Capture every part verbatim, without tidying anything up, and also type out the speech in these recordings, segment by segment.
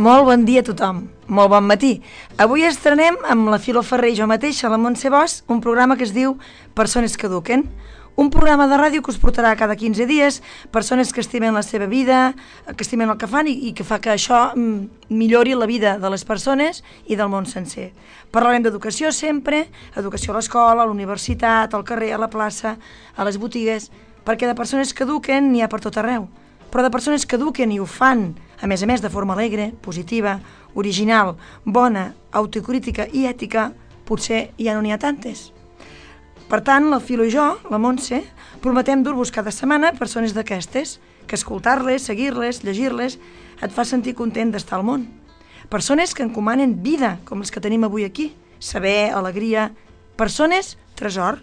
Molt bon dia a tothom, molt bon matí. Avui estrenem amb la Filo Ferrer i jo mateixa, la Montse Bosch, un programa que es diu Persones que eduquen. Un programa de ràdio que us portarà cada quinze dies persones que estimen la seva vida, que estimen el que fan i, i que fa que això mm, millori la vida de les persones i del món sencer. Parlarem d'educació sempre, educació a l'escola, a la universitat, al carrer, a la plaça, a les botigues, perquè de persones que eduquen n'hi ha per tot arreu. Però de persones que eduquen i ho fan, a més a més de forma alegre, positiva, original, bona, autocrítica i ètica, potser ja no n'hi ha tantes. Per tant, la Filo i jo, la Montse, prometem dur-vos cada setmana persones d'aquestes, que escoltar-les, seguir-les, llegir-les, et fa sentir content d'estar al món. Persones que encomanen vida, com les que tenim avui aquí, saber, alegria, persones tresor.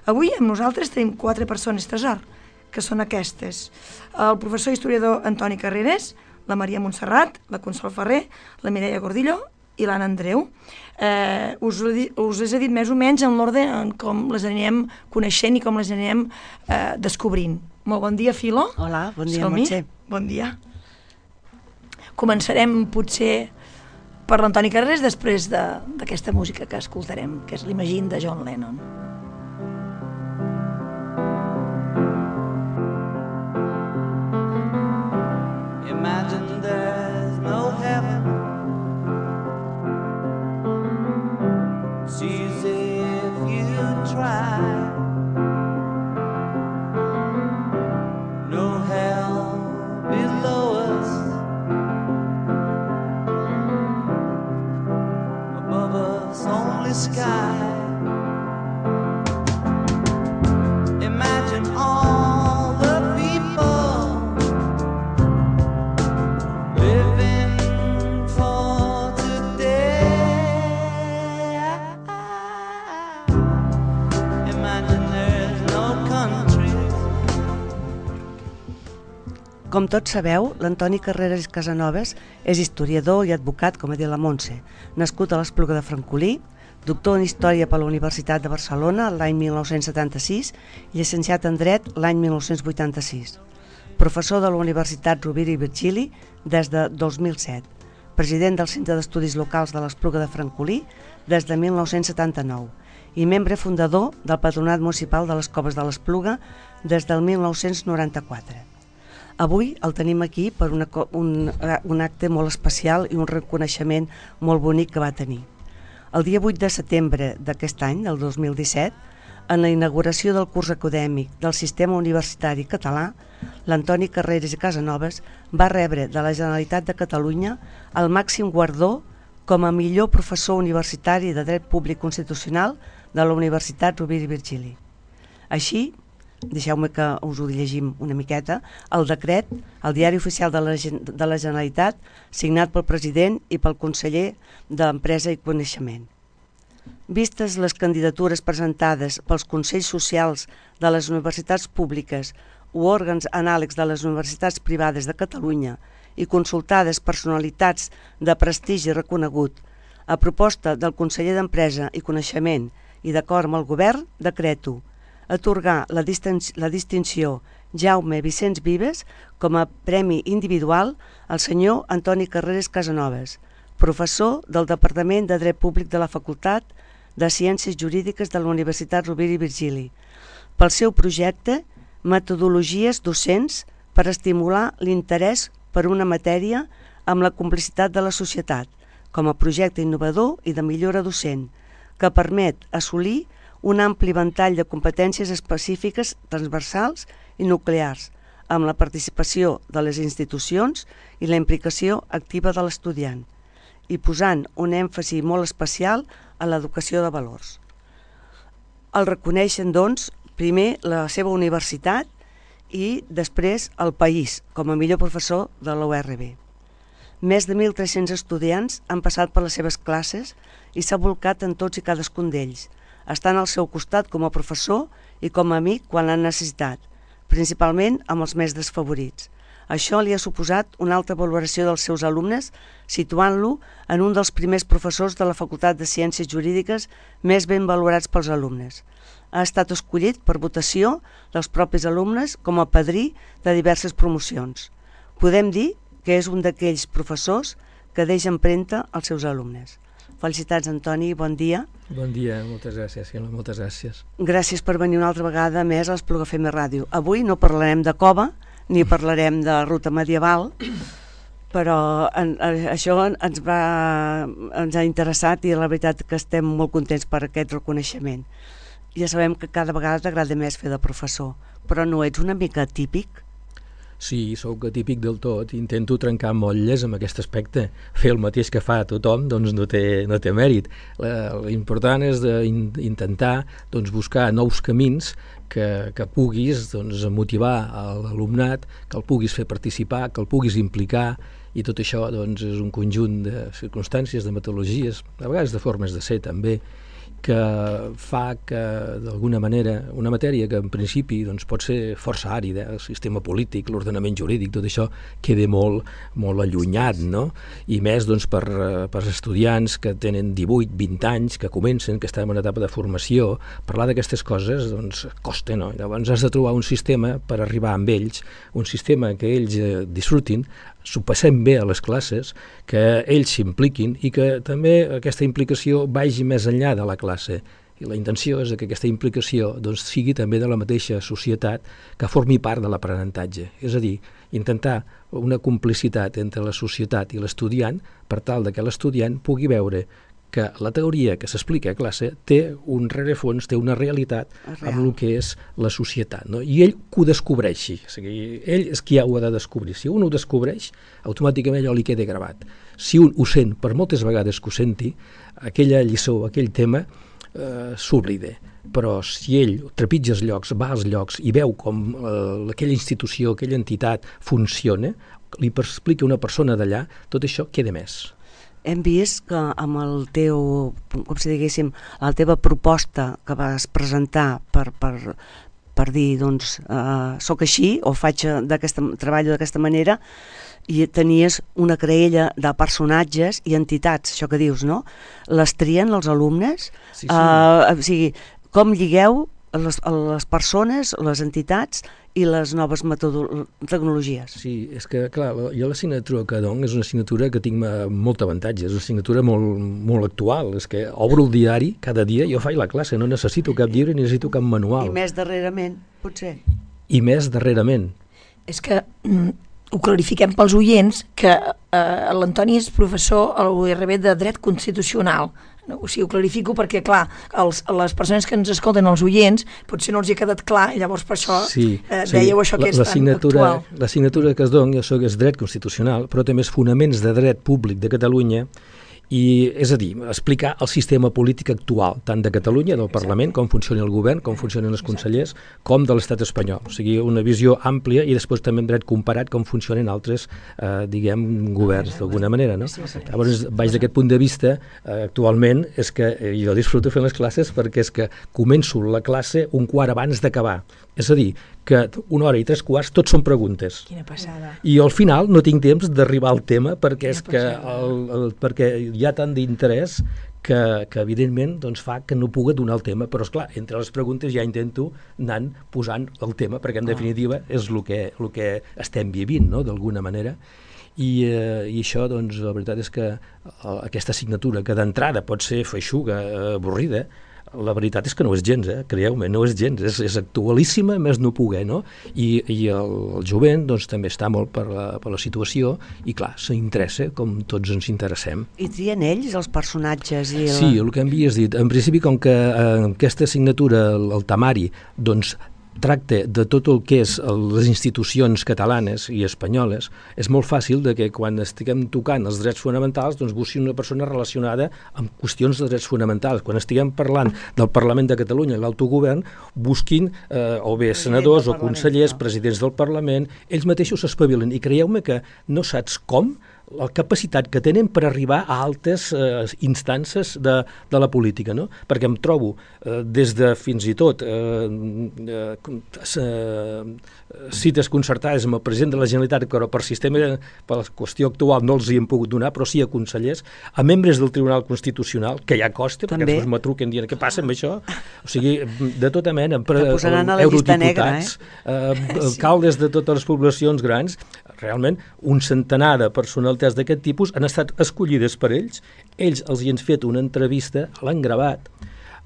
Avui amb nosaltres tenim quatre persones tresor, que són aquestes: el professor historiador Antoni Carreras, la Maria Montserrat, la Consol Ferrer, la Mireia Gordillo i l'Anna Andreu. Eh, us, us les he dit més o menys en l'ordre en com les anirem coneixent i com les anirem eh, descobrint. Molt bon dia, Filo. Hola, bon dia, Salmi. Montse. Bon dia. Començarem potser per l'Antoni Carreras després d'aquesta de, música que escoltarem, que és l'Imagine de John Lennon. Imagine there's no heaven. It's easy if you try. No hell below us. Above us only sky. Imagine all the people living for today. Imagine there's no countries. Com tots sabeu, l'Antoni Carreras i Casanovas és historiador i advocat, com ha dit la Montse, nascut a l'Espluga de Francolí, doctor en Història per la Universitat de Barcelona l'any mil nou-cents setanta-sis i llicenciat en Dret l'any mil nou-cents vuitanta-sis. Professor de la Universitat Rovira i Virgili des de dos mil set, president del Centre d'Estudis Locals de l'Espluga de Francolí des de mil nou-cents setanta-nou i membre fundador del Patronat Municipal de les Coves de l'Espluga des del mil nou-cents noranta-quatre. Avui el tenim aquí per una, un, un acte molt especial i un reconeixement molt bonic que va tenir. El dia vuit de setembre d'aquest any, del dos mil disset, en la inauguració del curs acadèmic del Sistema Universitari Català, l'Antoni Carreras i Casanovas va rebre de la Generalitat de Catalunya el màxim guardó com a millor professor universitari de Dret Públic Constitucional de la Universitat Rovira i Virgili. Així, deixeu-me que us ho llegim una miqueta, el decret, el Diari Oficial de la, de la Generalitat, signat pel president i pel conseller d'Empresa i Coneixement. Vistes les candidatures presentades pels Consells Socials de les universitats públiques o òrgans anàlegs de les universitats privades de Catalunya i consultades personalitats de prestigi reconegut, a proposta del conseller d'Empresa i Coneixement i d'acord amb el govern, decreto atorgar la, distin la distinció Jaume Vicenç Vives com a premi individual al senyor Antoni Carreras Casanovas, professor del Departament de Dret Públic de la Facultat de Ciències Jurídiques de la Universitat Rovira i Virgili, pel seu projecte Metodologies docents per estimular l'interès per una matèria amb la complicitat de la societat, com a projecte innovador i de millora docent, que permet assolir un ampli ventall de competències específiques transversals i nuclears, amb la participació de les institucions i la implicació activa de l'estudiant, i posant un èmfasi molt especial a l'educació de valors. El reconeixen, doncs, primer la seva universitat i després el país, com a millor professor de la U R B. Més de mil tres-cents estudiants han passat per les seves classes i s'ha volcat en tots i cadascun d'ells, estant al seu costat com a professor i com a amic quan l'han necessitat, principalment amb els més desfavorits. Això li ha suposat una alta valoració dels seus alumnes, situant-lo en un dels primers professors de la Facultat de Ciències Jurídiques més ben valorats pels alumnes. Ha estat escollit per votació dels propis alumnes com a padrí de diverses promocions. Podem dir que és un d'aquells professors que deixa empremta als seus alumnes. Felicitats, Antoni, bon dia. Bon dia, moltes gràcies, Sílvia, moltes gràcies. Gràcies per venir una altra vegada més a l'Espluga F M Ràdio. Avui no parlarem de cova, ni parlarem de ruta medieval, però en, això ens, va, ens ha interessat i la veritat que estem molt contents per aquest reconeixement. Ja sabem que cada vegada t'agrada més fer de professor, però no ets una mica típic? Sí, sóc atípic del tot, intento trencar motlles amb aquest aspecte. Fer el mateix que fa tothom doncs no té, no té mèrit. L'important és de in, intentar doncs, buscar nous camins que, que puguis doncs, motivar l'alumnat, que el puguis fer participar, que el puguis implicar, i tot això doncs, és un conjunt de circumstàncies, de metodologies, a vegades de formes de ser també, que fa que, d'alguna manera, una matèria que en principi doncs, pot ser força àrida, el sistema polític, l'ordenament jurídic, tot això queda molt, molt allunyat, no? I més doncs, per, per estudiants que tenen divuit, vint anys, que comencen, que estan en una etapa de formació, parlar d'aquestes coses doncs, costa, no? Llavors has de trobar un sistema per arribar amb ells, un sistema que ells eh, disfrutin, s'ho passem bé a les classes, que ells s'impliquin i que també aquesta implicació vagi més enllà de la classe. I la intenció és que aquesta implicació doncs, sigui també de la mateixa societat que formi part de l'aprenentatge. És a dir, intentar una complicitat entre la societat i l'estudiant per tal de que l'estudiant pugui veure que la teoria que s'explica a classe té un rerefons, té una realitat amb el que és la societat, no? I ell que ho descobreixi, o sigui, ell és qui ho ha de descobrir. Si un ho descobreix, automàticament allò li queda gravat. Si un ho sent, per moltes vegades que ho senti, aquella lliçó, aquell tema, eh, s'oblida. Però si ell trepitja els llocs, va als llocs i veu com eh, aquella institució, aquella entitat funciona, li explica una persona d'allà, tot això queda més. Hem vist que amb el teu, com si diguéssim, la teva proposta que vas presentar per, per, per dir, doncs, eh, soc així o faig d'aquesta, treballo d'aquesta manera, i tenies una creella de personatges i entitats, això que dius, no? Les trien els alumnes? Sí, sí. Eh, o sigui, com lligueu les, les persones, les entitats i les noves tecnologies? Sí, és que, clar, jo l'assignatura que dono és una assignatura que tinc molt avantatge, és una assignatura molt, molt actual, és que obro el diari cada dia, jo faig la classe, no necessito cap llibre ni necessito cap manual. I més darrerament, potser? I més darrerament. És que mm, ho clarifiquem pels oients que eh, l'Antoni és professor a la U R B de Dret Constitucional. No, o sigui, ho clarifico perquè, clar, els, les persones que ens escolten, els oients, potser no els hi ha quedat clar, i llavors per això sí, eh, dèieu sí, això que és tan actual. L'assignatura que es dona, jo soc és Dret Constitucional, però també és Fonaments de Dret Públic de Catalunya, i és a dir, explicar el sistema polític actual, tant de Catalunya, del Parlament, com funciona el govern, com funcionen els consellers, com de l'estat espanyol. O sigui, una visió àmplia i després també en dret comparat com funcionen altres, eh, diguem, governs, d'alguna manera, no? Llavors, baix d'aquest punt de vista, eh, actualment, és que eh, jo disfruto fent les classes perquè és que començo la classe un quart abans d'acabar. És a dir, que una hora i tres quarts tot són preguntes. Quina passada. I al final no tinc temps d'arribar al tema perquè, és que el, el, perquè hi ha tant d'interès que, que evidentment doncs, fa que no pugui donar el tema, però esclar, entre les preguntes ja intento anant posant el tema, perquè en definitiva és el que, el que estem vivint, no?, d'alguna manera. I, eh, i això, doncs, la veritat és que aquesta assignatura, que d'entrada pot ser feixuga, eh, avorrida, la veritat és que no és gens, eh? Creieu-me, no és gens, és, és actualíssima, més no poder, no? I, i el, el jovent doncs, també està molt per la, per la situació i, clar, s'interessa com tots ens interessem. I trien ells els personatges? I la... Sí, el que m'havies dit. En principi, com que eh, aquesta assignatura, el, el temari, doncs, tracta de tot el que és les institucions catalanes i espanyoles, és molt fàcil de que quan estiguem tocant els drets fonamentals doncs busquin una persona relacionada amb qüestions de drets fonamentals. Quan estiguem parlant del Parlament de Catalunya i l'autogovern, busquin eh, o bé senadors o consellers, presidents del Parlament, ells mateixos s'espavilen. I creieu-me que no saps com la capacitat que tenen per arribar a altes eh, instàncies de, de la política, no? Perquè em trobo eh, des de fins i tot eh, eh, cites concertades amb el president de la Generalitat, però per sistema, per la qüestió actual no els hi hem pogut donar, però sí a consellers, a membres del Tribunal Constitucional, que ja costa, també, perquè després me truquen dient què passa amb això, o sigui, de tota mena, per, posaran a la llista negra, eh? eh, alcaldes de totes les poblacions grans, realment un centenar de personalitats d'aquest tipus han estat escollides per ells, ells els hi han fet una entrevista, l'han gravat,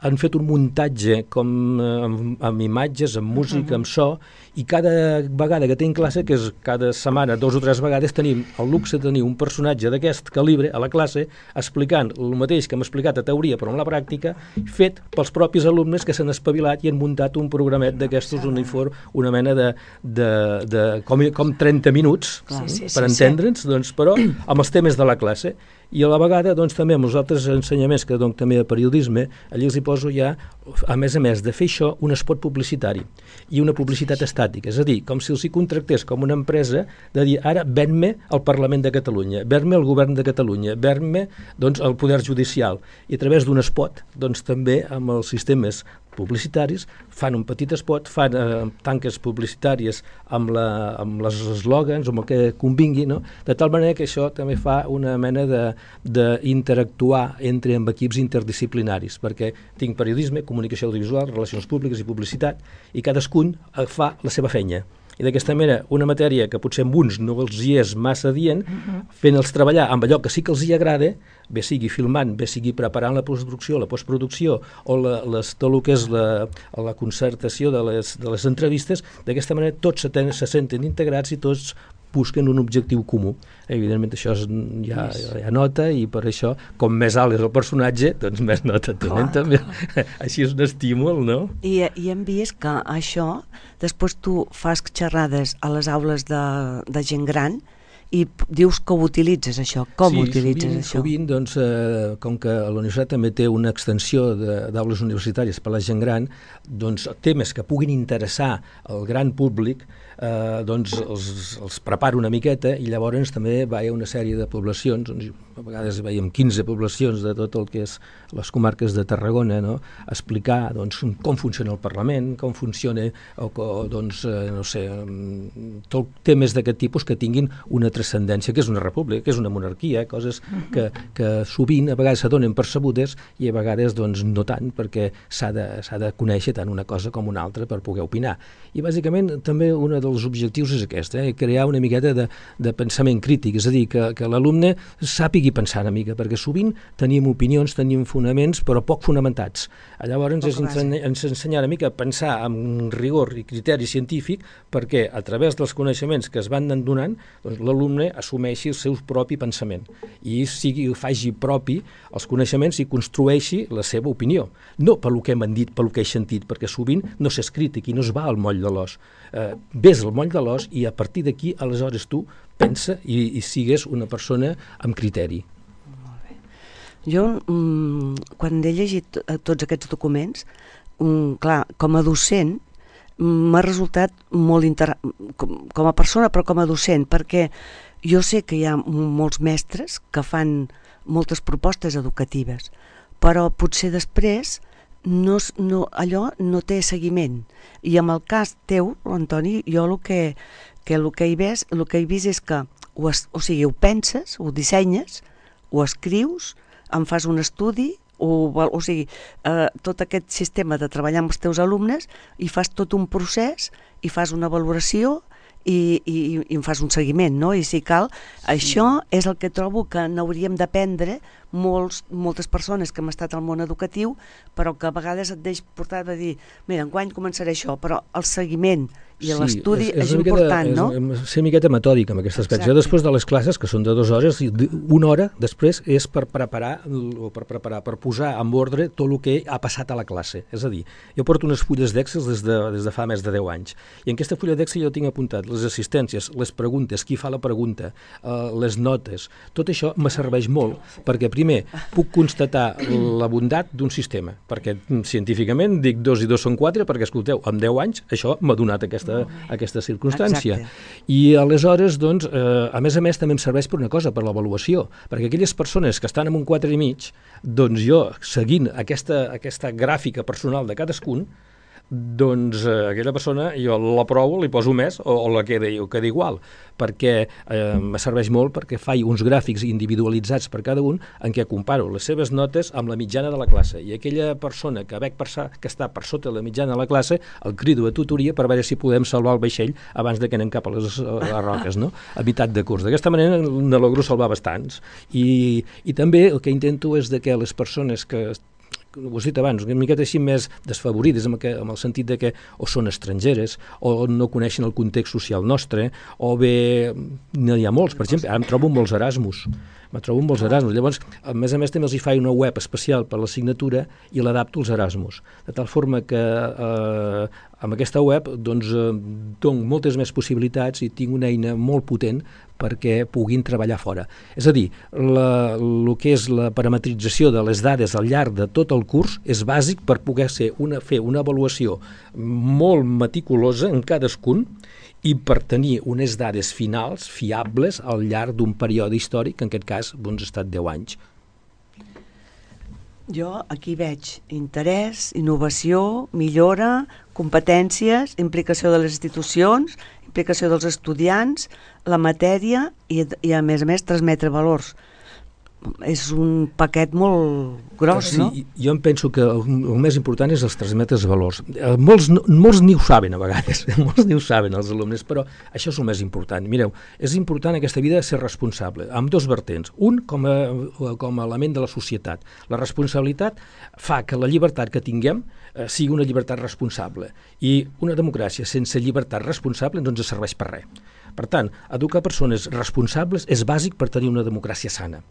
han fet un muntatge com amb, amb imatges, amb música, uh-huh. amb so, i cada vegada que tenim classe, que és cada setmana, dos o tres vegades, tenim el luxe de tenir un personatge d'aquest calibre a la classe explicant el mateix que hem explicat a teoria però en la pràctica, fet pels propis alumnes que s'han espavilat i han muntat un programet d'aquestos uniform, una mena de, de, de com, com trenta minuts, sí, sí, per sí, entendre'ns, sí. doncs, però amb els temes de la classe. I a la vegada, doncs, també amb els altres ensenyaments que dono també de periodisme, allà els hi poso ja, a més a més de fer això, un espot publicitari i una publicitat estàtica, és a dir, com si els hi contractés com una empresa de dir, ara ven-me el Parlament de Catalunya, ven-me el Govern de Catalunya, ven-me, doncs, el Poder Judicial, i a través d'un espot, doncs, també amb els sistemes publicitaris, fan un petit espot, fan eh, tanques publicitàries amb, la, amb les eslògans, amb el que convingui, no? De tal manera que això també fa una mena d'interactuar entre amb equips interdisciplinaris, perquè tinc periodisme, comunicació audiovisual, relacions públiques i publicitat, i cadascun fa la seva feina. I d'aquesta manera, una matèria que potser amb uns no els hi és massa dient, fent-els treballar amb allò que sí que els hi agrada, bé sigui filmant, bé sigui preparant la postproducció, la postproducció o la, les, tot el que és la, la concertació de les, de les entrevistes, d'aquesta manera tots se, ten, se senten integrats i tots busquen un objectiu comú. Evidentment això és, ja, ja nota, i per això, com més alt és el personatge, doncs més nota tenen també. Així és un estímul, no? I, i hem vist que això, després tu fas xerrades a les aules de, de gent gran i dius que ho utilitzes, això. Com sí, ho utilitzes, sovint, això? Sovint, doncs, eh, com que la universitat també té una extensió d'aules universitàries per a la gent gran, doncs temes que puguin interessar al gran públic, eh, doncs els, els preparo una miqueta, i llavors també va a una sèrie de poblacions, doncs, a vegades veiem quinze poblacions de tot el que és les comarques de Tarragona, no? Explicar, doncs, com funciona el Parlament, com funciona, o, o doncs, eh, no sé, tot temes d'aquest tipus que tinguin una transcendència, que és una república, que és una monarquia, coses que, que sovint a vegades s'adonen percebudes i a vegades doncs no tant, perquè s'ha de, s'ha de conèixer tant una cosa com una altra per poder opinar. I bàsicament també un dels objectius és aquest, eh? crear una miqueta de, de pensament crític, és a dir, que, que l'alumne sàpigui pensar una mica, perquè sovint tenim opinions, tenim fonaments, però poc fonamentats. Llavors ens, ensenya, ens ensenya una mica a pensar amb rigor i criteri científic, perquè a través dels coneixements que es van donant, doncs, l'alumne assumeixi el seu propi pensament i sigui, faci propi els coneixements i construeixi la seva opinió. No pel que m'han dit, pel que he sentit, perquè sovint no s'és crític i no es va al moll de l'os. Eh, ves al moll de l'os i a partir d'aquí, aleshores tu pensa i, i sigues una persona amb criteri. Molt bé. Jo, mm, quan he llegit tots aquests documents, mm, clar, com a docent, m'ha resultat molt interessant, com, com a persona, però com a docent, perquè jo sé que hi ha molts mestres que fan moltes propostes educatives, però potser després no, no, allò no té seguiment. I en el cas teu, Antoni, jo el que, que, el que, he, vist, el que he vist és que ho, es, o sigui, ho penses, ho dissenyes, ho escrius, en fas un estudi, o, o sigui, eh, tot aquest sistema de treballar amb els teus alumnes, i fas tot un procés, i fas una valoració, i, i, i en fas un seguiment, no? I si cal, sí. Això és el que trobo que n'hauríem d'aprendre molts, moltes persones que hem estat al món educatiu, però que a vegades et deix portar a dir, mira, enguany començaré això, però el seguiment i sí, l'estudi és, és, és important, miqueta, no? És ser una miqueta metòdic amb aquest aspecte. Jo després de les classes, que són de dues hores, una hora després és per preparar, o per preparar, per posar en ordre tot el que ha passat a la classe. És a dir, jo porto unes fulles d'Excel des, de, des de fa més de deu anys, i en aquesta fulla d'Excel jo tinc apuntat les assistències, les preguntes, qui fa la pregunta, eh, les notes, tot això me serveix molt, perquè primer puc constatar la bondat d'un sistema, perquè científicament dic dos i dos són quatre, perquè escolteu, en deu anys això m'ha donat aquesta aquesta circumstància. Exacte. I aleshores, doncs, eh, a més a més també em serveix per una cosa, per l'avaluació, perquè aquelles persones que estan en un quatre i mig, doncs jo, seguint aquesta, aquesta gràfica personal de cadascun, doncs eh, aquella persona jo l'aprovo, li poso més o, o la queda, o queda igual, perquè eh, me serveix molt perquè faig uns gràfics individualitzats per cada un en què comparo les seves notes amb la mitjana de la classe, i aquella persona que veig per, que està per sota de la mitjana de la classe el crido a tutoria per veure si podem salvar el vaixell abans de que anem cap a les, a les roques, no? A meitat de curs. D'aquesta manera ne logro salvar bastants, i, i també el que intento és de que les persones que ho has dit abans, una miqueta així més desfavorides, amb, que, amb el sentit de que o són estrangeres, o no coneixen el context social nostre, o bé n'hi ha molts, per exemple, ara em trobo molts Erasmus, me trobo amb molts Erasmus. Llavors, a més a més, també els hi faig una web especial per la signatura i l'adapto als Erasmus, de tal forma que eh, amb aquesta web doncs, eh, dono moltes més possibilitats i tinc una eina molt potent perquè puguin treballar fora. És a dir, la, el que és la parametrització de les dades al llarg de tot el curs és bàsic per poder ser una, fer una avaluació molt meticulosa en cadascun i per tenir unes dades finals fiables al llarg d'un període històric, que en aquest cas doncs, ha estat deu anys. Jo aquí veig interès, innovació, millora, competències, implicació de les institucions, implicació dels estudiants, la matèria i, i a més a més transmetre valors. És un paquet molt gros, sí, no? Jo em penso que el, el més important és els transmetre valors. Eh, molts, molts ni ho saben a vegades, molts ni ho saben els alumnes, però això és el més important. Mireu, és important en aquesta vida ser responsable, amb dos vertents. Un, com a, com a element de la societat. La responsabilitat fa que la llibertat que tinguem eh, sigui una llibertat responsable, i una democràcia sense llibertat responsable no ens serveix per res. Per tant, educar persones responsables és bàsic per tenir una democràcia sana.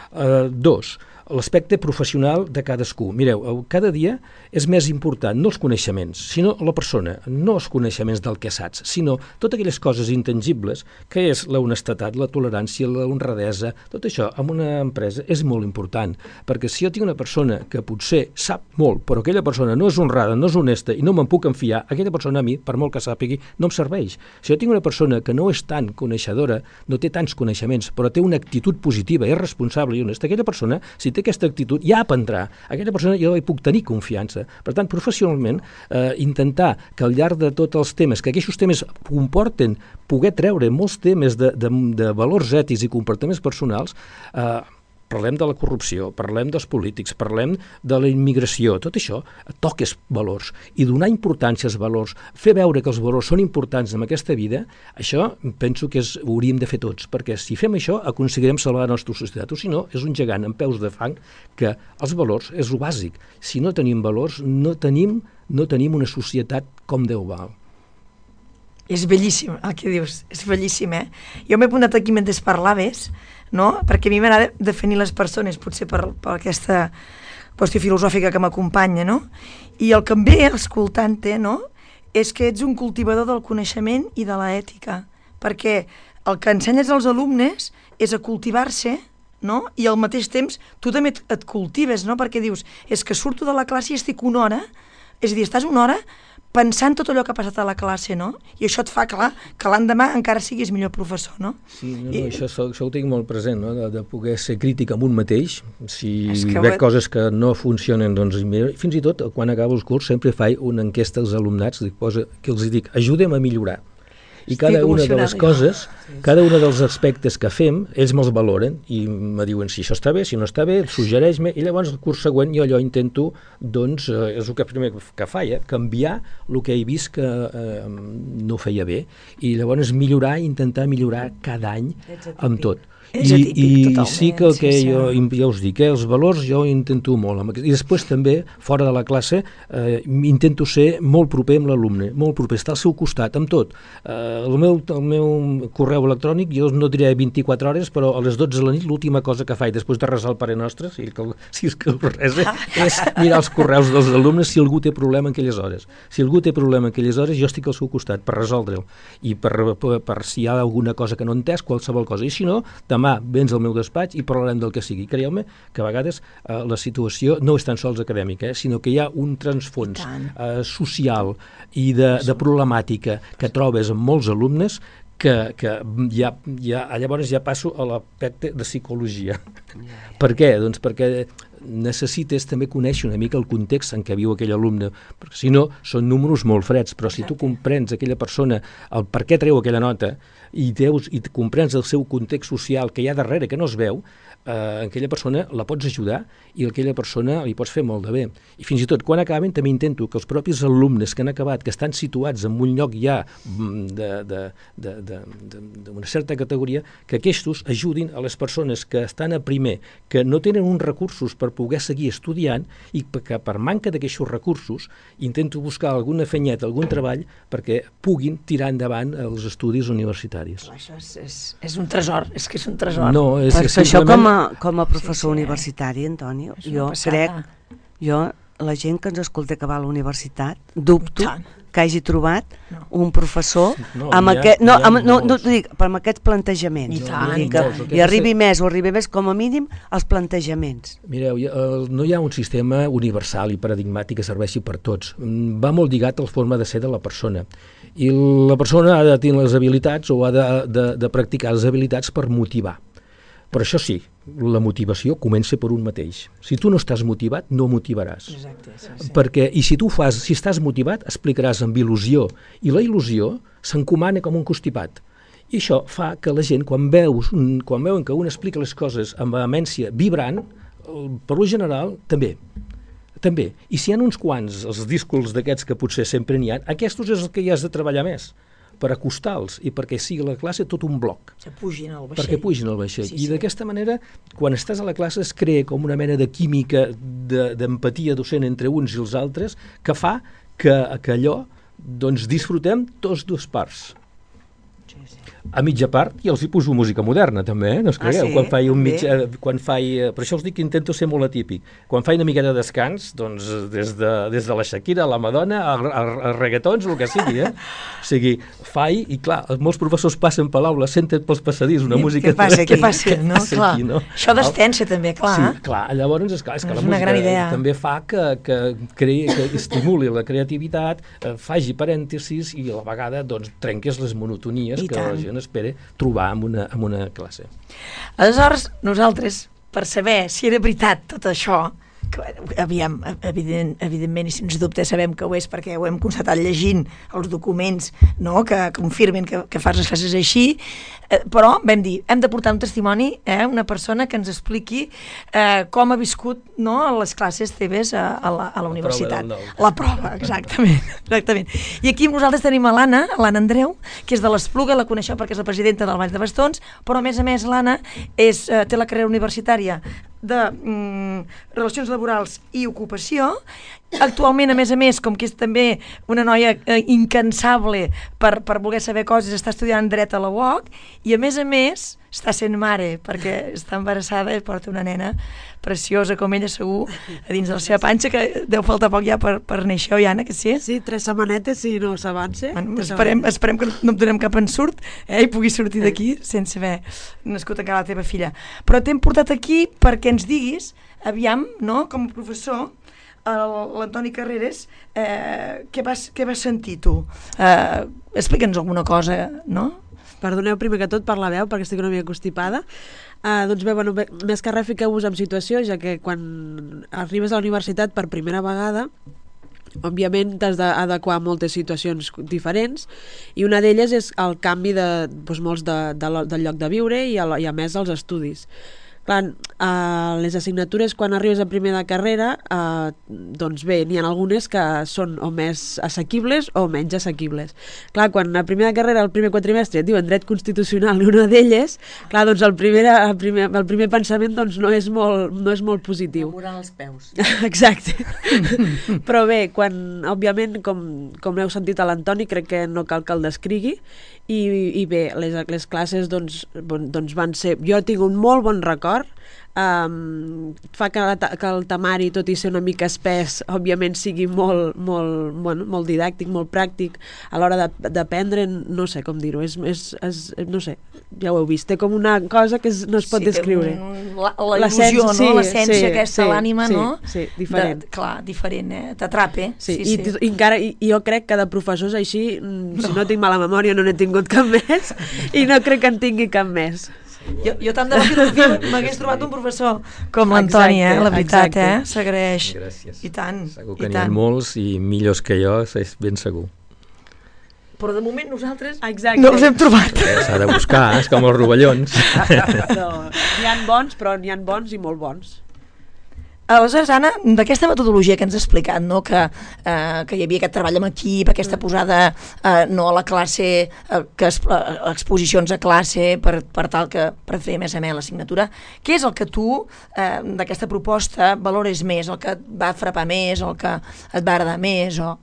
Uh, dos, l'aspecte professional de cadascú. Mireu, cada dia és més important no els coneixements, sinó la persona, no els coneixements del que saps, sinó totes aquelles coses intangibles que és la honestedat, la tolerància, la honradesa, tot això en una empresa és molt important, perquè si jo tinc una persona que potser sap molt, però aquella persona no és honrada, no és honesta i no me'n puc enfiar, aquella persona a mi, per molt que sàpigui, no em serveix. Si jo tinc una persona que no és tan coneixedora, no té tants coneixements, però té una actitud positiva, és responsable i honesta, aquella persona, si té aquesta actitud, ja aprendrà. Aquella persona jo hi puc tenir confiança. Per tant, professionalment, eh, intentar que al llarg de tots els temes, que aquests temes comporten poder treure molts temes de, de, de valors ètics i comportaments personals, eh, parlem de la corrupció, parlem dels polítics, parlem de la immigració, tot això toques valors, i donar importància als valors, fer veure que els valors són importants en aquesta vida, això penso que és, ho hauríem de fer tots, perquè si fem això aconseguirem salvar la nostra societat, o si no, és un gegant amb peus de fang, que els valors és el bàsic. Si no tenim valors, no tenim, no tenim una societat com Déu val. És bellíssim el que dius, és bellíssim, eh? Jo m'he apuntat aquí mentre parlaves, no? Perquè a mi m'agrada definir les persones, potser per, per aquesta qüestió filosòfica que m'acompanya, no? I el que em ve escoltant-te, no?, és que ets un cultivador del coneixement i de l'ètica, perquè el que ensenyes als alumnes és a cultivar-se, no? I al mateix temps tu també et, et cultives, no? Perquè dius, és que surto de la classe i estic una hora, és a dir, estàs una hora pensant tot allò que ha passat a la classe, no? I això et fa, clar, que l'endemà encara siguis millor professor, no? Sí, no, no, I... això, això ho tinc molt present, no? De, de poder ser crític amb un mateix, si veig veig coses que no funcionen, doncs fins i tot quan acabo el curs sempre faig una enquesta als alumnats que els dic, ajudem a millorar. I cada una de les coses, cada un dels aspectes que fem, ells me'ls valoren i me diuen si això està bé, si no està bé, suggereix-me, i llavors el curs següent jo allò intento, doncs, eh, és el que primer que faig, eh, canviar el que he vist que eh, no feia bé, i llavors millorar, intentar millorar cada any amb tot. I, i sí que el que jo, ja us dic, eh, els valors jo intento molt, amb, i després també fora de la classe eh, intento ser molt proper amb l'alumne, molt proper, estar al seu costat amb tot. Eh, el, meu, el meu correu electrònic jo no diré vint-i-quatre hores, però a les dotze de la nit l'última cosa que faig després de resar el Pare Nostre, si, que, si és que el resa, és mirar els correus dels alumnes si algú té problema en aquelles hores. Si algú té problema en aquelles hores jo estic al seu costat per resoldre'l i per, per, per si hi ha alguna cosa que no he entès, qualsevol cosa, i si no, demà vens al meu despatx i parlarem del que sigui. Creieu-me que a vegades eh, la situació no és tan sols acadèmica, eh, sinó que hi ha un transfons eh, social i de, de problemàtica que trobes en molts alumnes que, que ja, ja, llavors ja passo a l'aspecte de psicologia. Per què? Doncs perquè necessites també conèixer una mica el context en què viu aquell alumne, perquè si no són números molt freds, però si tu comprens aquella persona el per què treu aquella nota i, deus, i comprens el seu context social que hi ha darrere, que no es veu, eh, aquella persona la pots ajudar i aquella persona li pots fer molt de bé. I fins i tot quan acaben també intento que els propis alumnes que han acabat, que estan situats en un lloc ja d'una certa categoria, que aquests ajudin a les persones que estan a primer, que no tenen uns recursos per poder seguir estudiant i que per manca d'aquests recursos intento buscar alguna fenyeta, algun treball perquè puguin tirar endavant els estudis universitaris. Això és, és, és un tresor, és que és un tresor. No, és per que això simplement... com a, com a professor Sí, sí. universitari, Antonio, És una jo passada. crec, jo, la gent que ens escolta que va a la universitat, dubto I tant. que hagi trobat No. un professor No, amb n'hi ha- aquest, no, n'hi ha amb, no, no molts. t'ho dic, però amb aquests plantejaments. I tant, Vull dir i que tant. hi arribi més o arribi més, com a mínim, els plantejaments. Mireu, hi ha- el- no hi ha un sistema universal i paradigmàtic que serveixi per tots. Mm, Va molt lligat a la forma de ser de la persona. I la persona ha de tenir les habilitats o ha de, de, de practicar les habilitats per motivar. Però això sí, la motivació comença per un mateix. Si tu no estàs motivat, no motivaràs. Exacte, sí, sí. Perquè, i si tu fas, si estàs motivat, explicaràs amb il·lusió, i la il·lusió s'encomana com un constipat. I això fa que la gent, quan, veus, un- quan veuen que un explica les coses amb vehemència vibrant, el- per lo general, també. També. I si hi ha uns quants, els discos d'aquests que potser sempre n'hi ha, aquests és el que hi has de treballar més, per acostar-los i perquè sigui la classe tot un bloc. Que pugin al vaixell. Perquè pugin al vaixell. Sí, I sí. d'aquesta manera, quan estàs a la classe, es crea com una mena de química, de- d'empatia docent entre uns i els altres, que fa que, que allò doncs, disfrutem tots dues parts. Sí, sí. A mitja part, i els hi poso música moderna, també, eh? No us Ah, cregueu? sí? Quan faig un També? mig, eh, quan faig, eh, per això us dic que intento ser molt atípic. Quan faig una mica de descans, doncs, des de, des de la Shakira, la Madonna, a, a, a reggaetons, el que sigui, eh? O sigui, faig, i clar, molts professors passen per l'aula, senten pels passadís una I música... què passa aquí? Què passa? Què No, passa clar. aquí, no? Això d'estència també, clar. Sí, clar, llavors és, clar, és que És la una música gran idea. també fa que, que, creï, que estimuli la creativitat, eh, faci parèntesis i a la vegada doncs, trenques les monotonies I que tant. la gent espera trobar en una, en una classe. Aleshores, nosaltres, per saber si era veritat tot això, que, aviam, evident, evidentment, i sens dubte sabem que ho és perquè ho hem constatat llegint els documents, no?, que confirmen que, que fas les classes així, eh, però vam dir, hem de portar un testimoni, eh, una persona que ens expliqui eh, com ha viscut, no?, les classes teves a, a, la, a la universitat. del nou. La prova, exactament, exactament. I aquí amb nosaltres tenim a l'Anna, l'Anna Andreu, que és de l'Espluga, la coneixeu perquè és la presidenta del Vall de Bastons, però a més a més l'Anna és, eh, té la carrera universitària de mm, Relacions Laborals i Ocupació. Actualment, a més a més, com que és també una noia eh, incansable per, per voler saber coses, està estudiant dret a la U O C i a més a més està sent mare perquè està embarassada i porta una nena preciosa com ella segur a dins de la seva panxa, que deu faltar poc ja per, per néixer, oi Anna, que sí? Sí, tres setmanetes si no s'avance. Bueno, esperem, esperem que no em donem cap ensurt eh, i pugui sortir d'aquí sense haver nascut encara la teva filla. Però t'hem portat aquí perquè ens diguis, aviam, no?, com a professor, el- l'Antoni Carreras, eh, què, vas, què vas sentir tu? Eh, Explica'ns alguna cosa, no? Perdoneu primer que tot per la veu, perquè estic una mica constipada. Uh, doncs bé, bueno, bé, més que res fiqueu-vos en situació, ja que quan arribes a la universitat per primera vegada, òbviament t'has d'adequar a moltes situacions diferents i una d'elles és el canvi de, doncs, molts de, de, lo- del lloc de viure i a, la- i a més els estudis. Clar, uh, les assignatures quan arribes a primer de carrera, uh, doncs bé, n'hi ha algunes que són o més assequibles o menys assequibles. Clar, quan a primer de carrera, el primer quatrimestre, et diuen dret constitucional i una d'elles, clar, doncs el primer, el primer, el primer pensament doncs, no, és molt, no és molt positiu. Moral als peus. Exacte. Però bé, quan, òbviament, com, com heu sentit a l'Antoni, crec que no cal que el descrigui, i, i bé, les, les classes doncs, bon, doncs van ser... Jo tinc un molt bon record d'acord. Um, fa que, la, que el temari, tot i ser una mica espès, òbviament sigui molt, molt, bueno, molt didàctic, molt pràctic a l'hora d'aprendre, no sé com dir-ho, és, és, és, no sé, ja ho heu vist, té com una cosa que es, no es pot sí, descriure. Un, la, la il·lusió, no? Sí, L'essència sí, aquesta, sí, l'ànima, sí, no? Sí, diferent. De, clar, diferent, eh? T'atrapa. Sí, sí, i, sí. i, encara, i, i jo crec que de professors així, no. si no tinc mala memòria, no n'he tingut cap més, i no crec que en tingui cap més. Jo, jo tant de la filosofia m'hagués trobat un professor com l'Antoni, eh? La veritat, exacte. eh? S'agraeix. Gràcies. I tant, Segur que i n'hi ha tant. molts i millors que jo, és ben segur. Però de moment nosaltres Exacte. no els hem trobat. S'ha de buscar, és com els rovellons. No, n'hi ha bons, però n'hi ha bons i molt bons. Aleshores, Anna, d'aquesta metodologia que ens ha explicat, no? que, eh, que hi havia aquest treball amb equip, aquesta posada eh, no a la classe, eh, que es, eh, exposicions a classe per, per tal que per fer més amena l'assignatura, què és el que tu eh, d'aquesta proposta valores més, el que et va frapar més, el que et va agradar més, o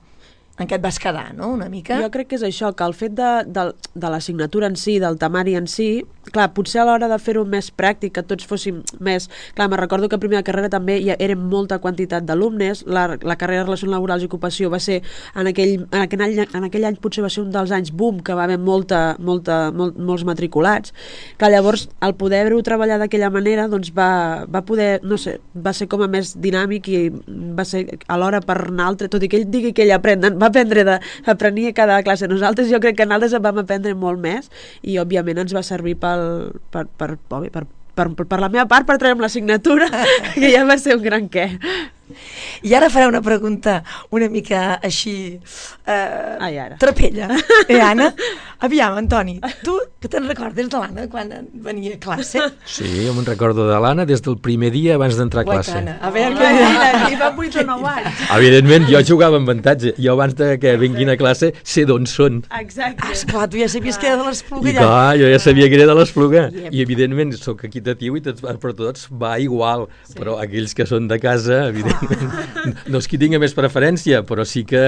en què et vas quedar, no?, una mica? Jo crec que és això, que el fet de, de, de l'assignatura en si, del temari en si, clar, potser a l'hora de fer-ho més pràctic, que tots fóssim més... Clar, me recordo que a primera carrera també hi érem molta quantitat d'alumnes, la, la carrera de Relacions Laborals i Ocupació va ser, en aquell, en, aquell any, en aquell any potser va ser un dels anys boom, que va haver molta, molta, molt, molts matriculats. Clar, llavors, el poder-ho treballar d'aquella manera, doncs va, va poder, no sé, va ser com a més dinàmic i va ser alhora per anar altre, tot i que ell digui que ell aprèn, va aprendre de, aprenia cada classe. Nosaltres jo crec que nosaltres en vam aprendre molt més i òbviament ens va servir pel, per, per, per, per, per, per la meva part per treure'm l'assignatura, que ja va ser un gran què. I ara faré una pregunta una mica així eh, Ai, ara. trapella. Eh, Anna? Aviam, Antoni, tu que te'n recordes de l'Anna quan venia a classe? Sí, jo me'n recordo de l'Anna des del primer dia abans d'entrar a classe. Guaita, Anna, a veure No, què... i fa vuit o nou anys. Evidentment, jo jugava amb avantatge. Jo abans de que vinguin a classe sé d'on són. Exacte. Ah, esclar, tu ja sabies que era de l'Espluga I allà. clar, jo ja sabia que era de l'Espluga. Yep. I evidentment soc equitatiu i tots, per tots va igual. Sí. Però aquells que són de casa, evidentment, no és qui tingui més preferència, però sí que,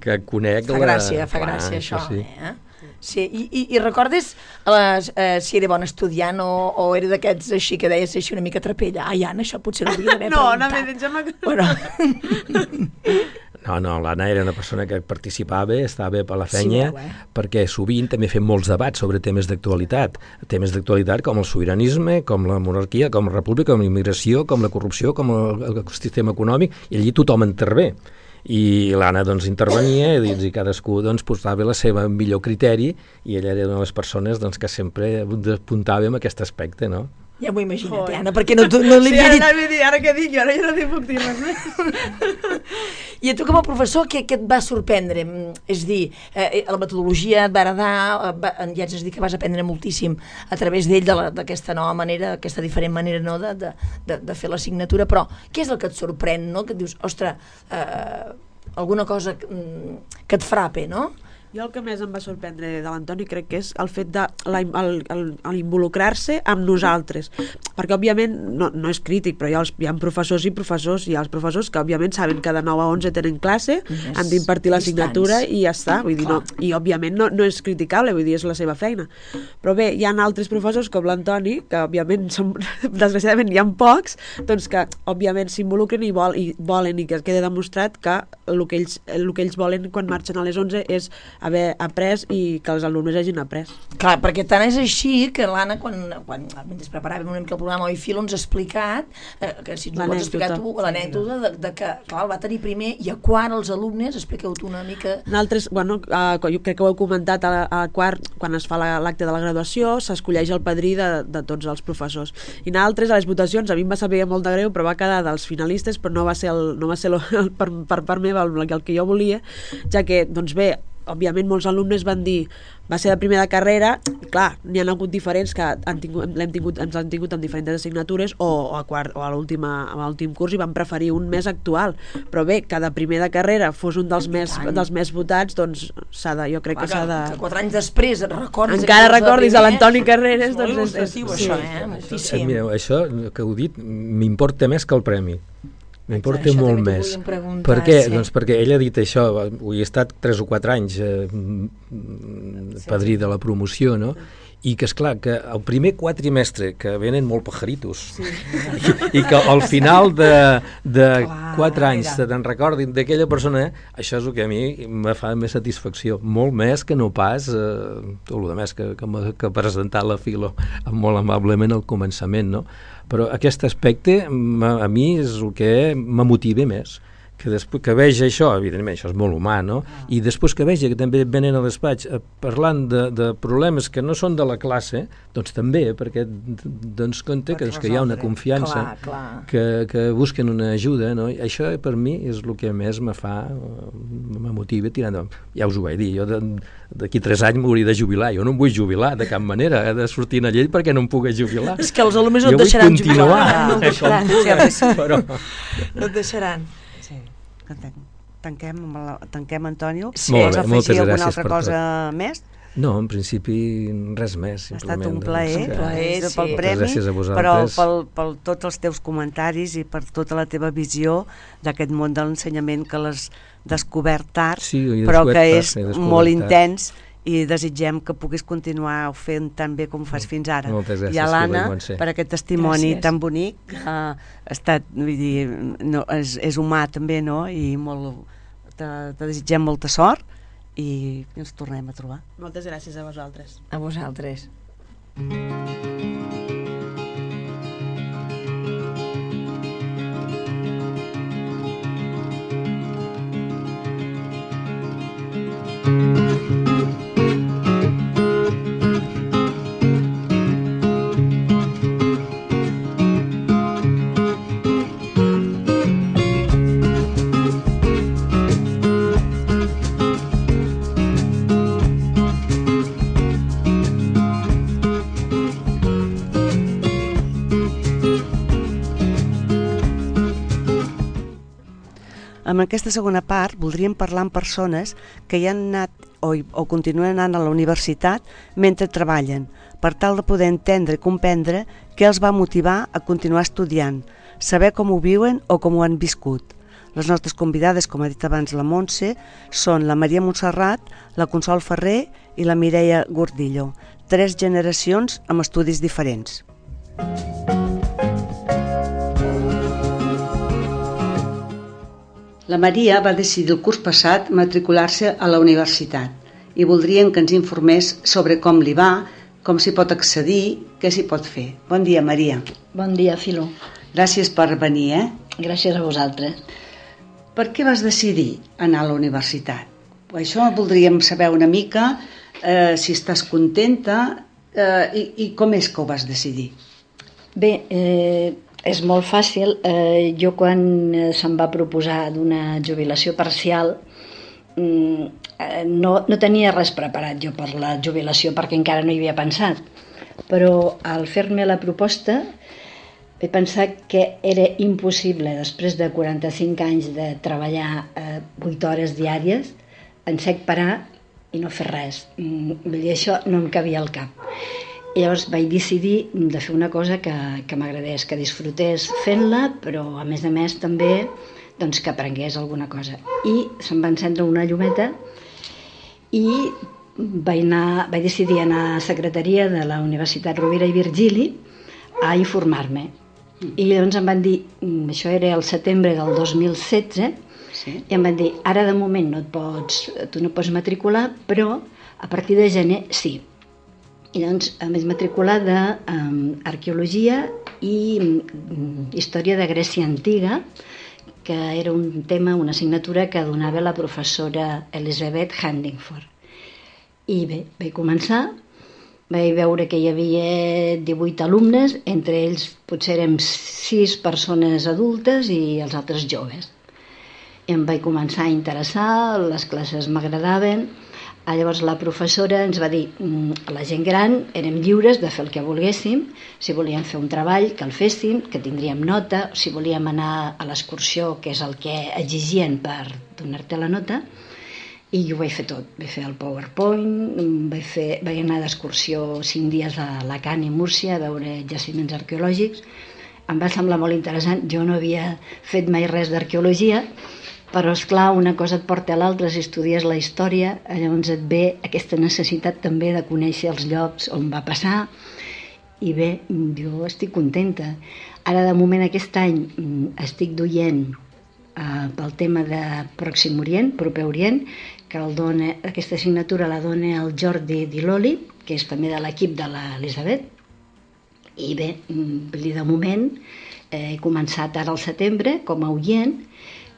que conec Fa la... gràcia, fa clar, gràcia això, sí. eh? Sí, i, i, i recordes les, eh, si era bon estudiant o, o era d'aquests així que deies així una mica trapella? Ai, Anna, això potser l'hauria d'haver No, preguntat. no, em sembla que... Bueno. No, no, l'Anna era una persona que participava, estava bé per la Sí, feina, veu, eh? perquè sovint també fem molts debats sobre temes d'actualitat. Temes d'actualitat com el sobiranisme, com la monarquia, com la república, com la immigració, com la corrupció, com el, el sistema econòmic, i allí tothom intervé. I l'Anna doncs intervenia i, i cadascú doncs posava la seva millor criteri i ella era una de les persones doncs, que sempre apuntava en aquest aspecte, no? Ja m'ho imagino, Anna, perquè no, no li Sí, havia ara, dit... anava a dir, ara què dic jo, ara ja no t'hi puc dir res més. I a tu com a professor, què, què et va sorprendre? És dir, eh, la metodologia et va agradar, eh, va, ja ens has dit que vas aprendre moltíssim a través d'ell, d'aquesta nova manera, aquesta diferent manera no, de, de, de, de fer l'assignatura, però què és el que et sorprèn, no? Que et dius, ostres, eh, alguna cosa que, que et frape, no? Jo el que més em va sorprendre de l'Antoni crec que és el fet de la, el, el, el involucrar-se amb nosaltres, perquè òbviament no, no és crític, però hi ha, els, hi ha professors i professors, hi ha els professors que òbviament saben que de nou a onze tenen classe, Yes. han d'impartir l'assignatura Distants. i ja està, vull dir, no, i òbviament no, no és criticable, vull dir, és la seva feina, però bé, hi ha altres professors com l'Antoni, que òbviament són, desgraciadament hi ha pocs, doncs que òbviament s'involucren i, vol, i volen i que quede demostrat que el que ells, el que ells volen quan marxen a les onze és haver après i que els alumnes hagin après. Clar, perquè tant és així que l'Anna, quan, quan mentre preparàvem una mica el programa Oi Filo, ens ha explicat, eh, que si ens ho pots explicar tu, l'anècdota de, de que, clar, el va tenir primer i a quart els alumnes, expliqueu-t'ho una mica... Nosaltres, bueno, uh, jo crec que ho heu comentat a, a quart, quan es fa l'acte la, de la graduació, s'escolleix el padrí de, de tots els professors. I nosaltres, a les votacions, a mi em va saber molt de greu, però va quedar dels finalistes, però no va ser, el, no va ser el, el, per, per part meva el, el que jo volia, ja que, doncs bé, òbviament molts alumnes van dir va ser de primera carrera, clar, n'hi ha hagut diferents que han tingut, l'hem tingut, ens han tingut en diferents assignatures o, o a quart o a l'últim curs i van preferir un més actual, però bé, que de primera carrera fos un dels, més, dels més votats, doncs s'ha de, jo crec clar, que s'ha de... Que quatre anys després et recordis... Encara recordis a l'Antoni Carreras, és molt doncs és, il·lustratiu, és, això, sí, eh? Eh, Moltíssim. mireu, això que heu dit m'importa més que el premi. M'importa Això molt també t'ho més. volíem preguntar, Per què? sí. Doncs perquè ell ha dit això, ho he estat tres o quatre anys eh, padrí de la promoció, no? i que, esclar, que el primer quatrimestre, que venen molt pajaritos, sí. I, i que al final de, de clar, quatre anys se te'n recordin d'aquella persona, això és el que a mi me fa més satisfacció, molt més que no pas eh, tot el més que, que, que presentar la Filo molt amablement al començament, no? Però aquest aspecte a mi és el que m'motiva més, que després que veig això, evidentment això és molt humà, no? Ah. I després que veig que també venen al despatx eh, parlant de, de problemes que no són de la classe, doncs també, perquè doncs compte que, doncs, que hi ha una confiança, clar, clar. Que, que busquen una ajuda, no? I això per mi és el que més me fa, me motiva tirant endavant. Ja us ho vaig dir, jo d'aquí tres anys m'hauria de jubilar, jo no em vull jubilar de cap manera, he de sortir a llei perquè no em puc jubilar. És que els alumnes no et deixaran jubilar. No et deixaran, sí, però... no et deixaran. Sí, tanquem, la, tanquem Antonio. Sí. Molt bé, moltes gràcies alguna altra per cosa tot. Més? No, en principi res més. Ha estat un plaer, doncs, plaer sí. pel premi, gràcies a vosaltres. però pel, pel tots els teus comentaris i per tota la teva visió d'aquest món de l'ensenyament que l'has descobert tard, sí, però que és molt intens, i desitgem que puguis continuar fent tan bé com fas fins ara. Moltes gràcies. I a l'Anna, per aquest testimoni gràcies. tan bonic, que ha estat, vull dir, no, és, és humà també, no? I molt, te, te desitgem molta sort i ens tornem a trobar. Moltes gràcies a vosaltres. A vosaltres. En aquesta segona part voldríem parlar amb persones que hi han anat o, o continuen anant a la universitat mentre treballen, per tal de poder entendre i comprendre què els va motivar a continuar estudiant, saber com ho viuen o com ho han viscut. Les nostres convidades, com ha dit abans la Montse, són la Maria Montserrat, la Consol Ferrer i la Mireia Gordillo, tres generacions amb estudis diferents. La Maria va decidir el curs passat matricular-se a la universitat i voldríem que ens informés sobre com li va, com s'hi pot accedir, què s'hi pot fer. Bon dia, Maria. Bon dia, Filo. Gràcies per venir, eh? Gràcies a vosaltres. Per què vas decidir anar a la universitat? Això voldríem saber una mica, eh, si estàs contenta eh, i, i com és que ho vas decidir. Bé, eh, és molt fàcil. Eh, jo quan se'm va proposar d'una jubilació parcial mm, eh, no, no tenia res preparat jo per la jubilació perquè encara no hi havia pensat. Però al fer-me la proposta he pensat que era impossible, després de quaranta-cinc anys de treballar eh, vuit hores diàries, en sec parar i no fer res. Mm, vull dir, això no em cabia al cap. I llavors vaig decidir de fer una cosa que, que m'agradés, que disfrutés fent-la, però a més a més també doncs, que aprengués alguna cosa. I se'm va encendre una llumeta i vaig, anar, vaig decidir anar a la secretaria de la Universitat Rovira i Virgili a informar-me. I llavors em van dir, això era el setembre del dos mil setze, sí. I em van dir, ara de moment no et pots, tu no pots matricular, però a partir de gener sí. I doncs em vaig matricular d'arqueologia i um, història de Grècia Antiga, que era un tema, una assignatura que donava la professora Elizabeth Handingford. I bé, vaig començar, vaig veure que hi havia divuit alumnes, entre ells potser érem sis persones adultes i els altres joves. I em vaig començar a interessar, les classes m'agradaven. Llavors la professora ens va dir que la gent gran érem lliures de fer el que volguéssim, si volíem fer un treball que el féssim, que tindríem nota, si volíem anar a l'excursió, que és el que exigien per donar-te la nota, i jo ho vaig fer tot. Vaig fer el PowerPoint, vaig, fer, vaig anar d'excursió cinc dies a Alacant i Múrcia a veure jaciments arqueològics. Em va semblar molt interessant, jo no havia fet mai res d'arqueologia, Però, esclar, una cosa et porta a l'altra, si estudies la història, llavors et ve aquesta necessitat també de conèixer els llocs on va passar, i bé, jo estic contenta. Ara, de moment, aquest any estic duient eh, pel tema de Pròxim Orient, Proper Orient, que el dona, aquesta assignatura la dona el Jordi Di Loli, que és també de l'equip de l'Elisabet, i bé, de moment eh, he començat ara al setembre com a oient,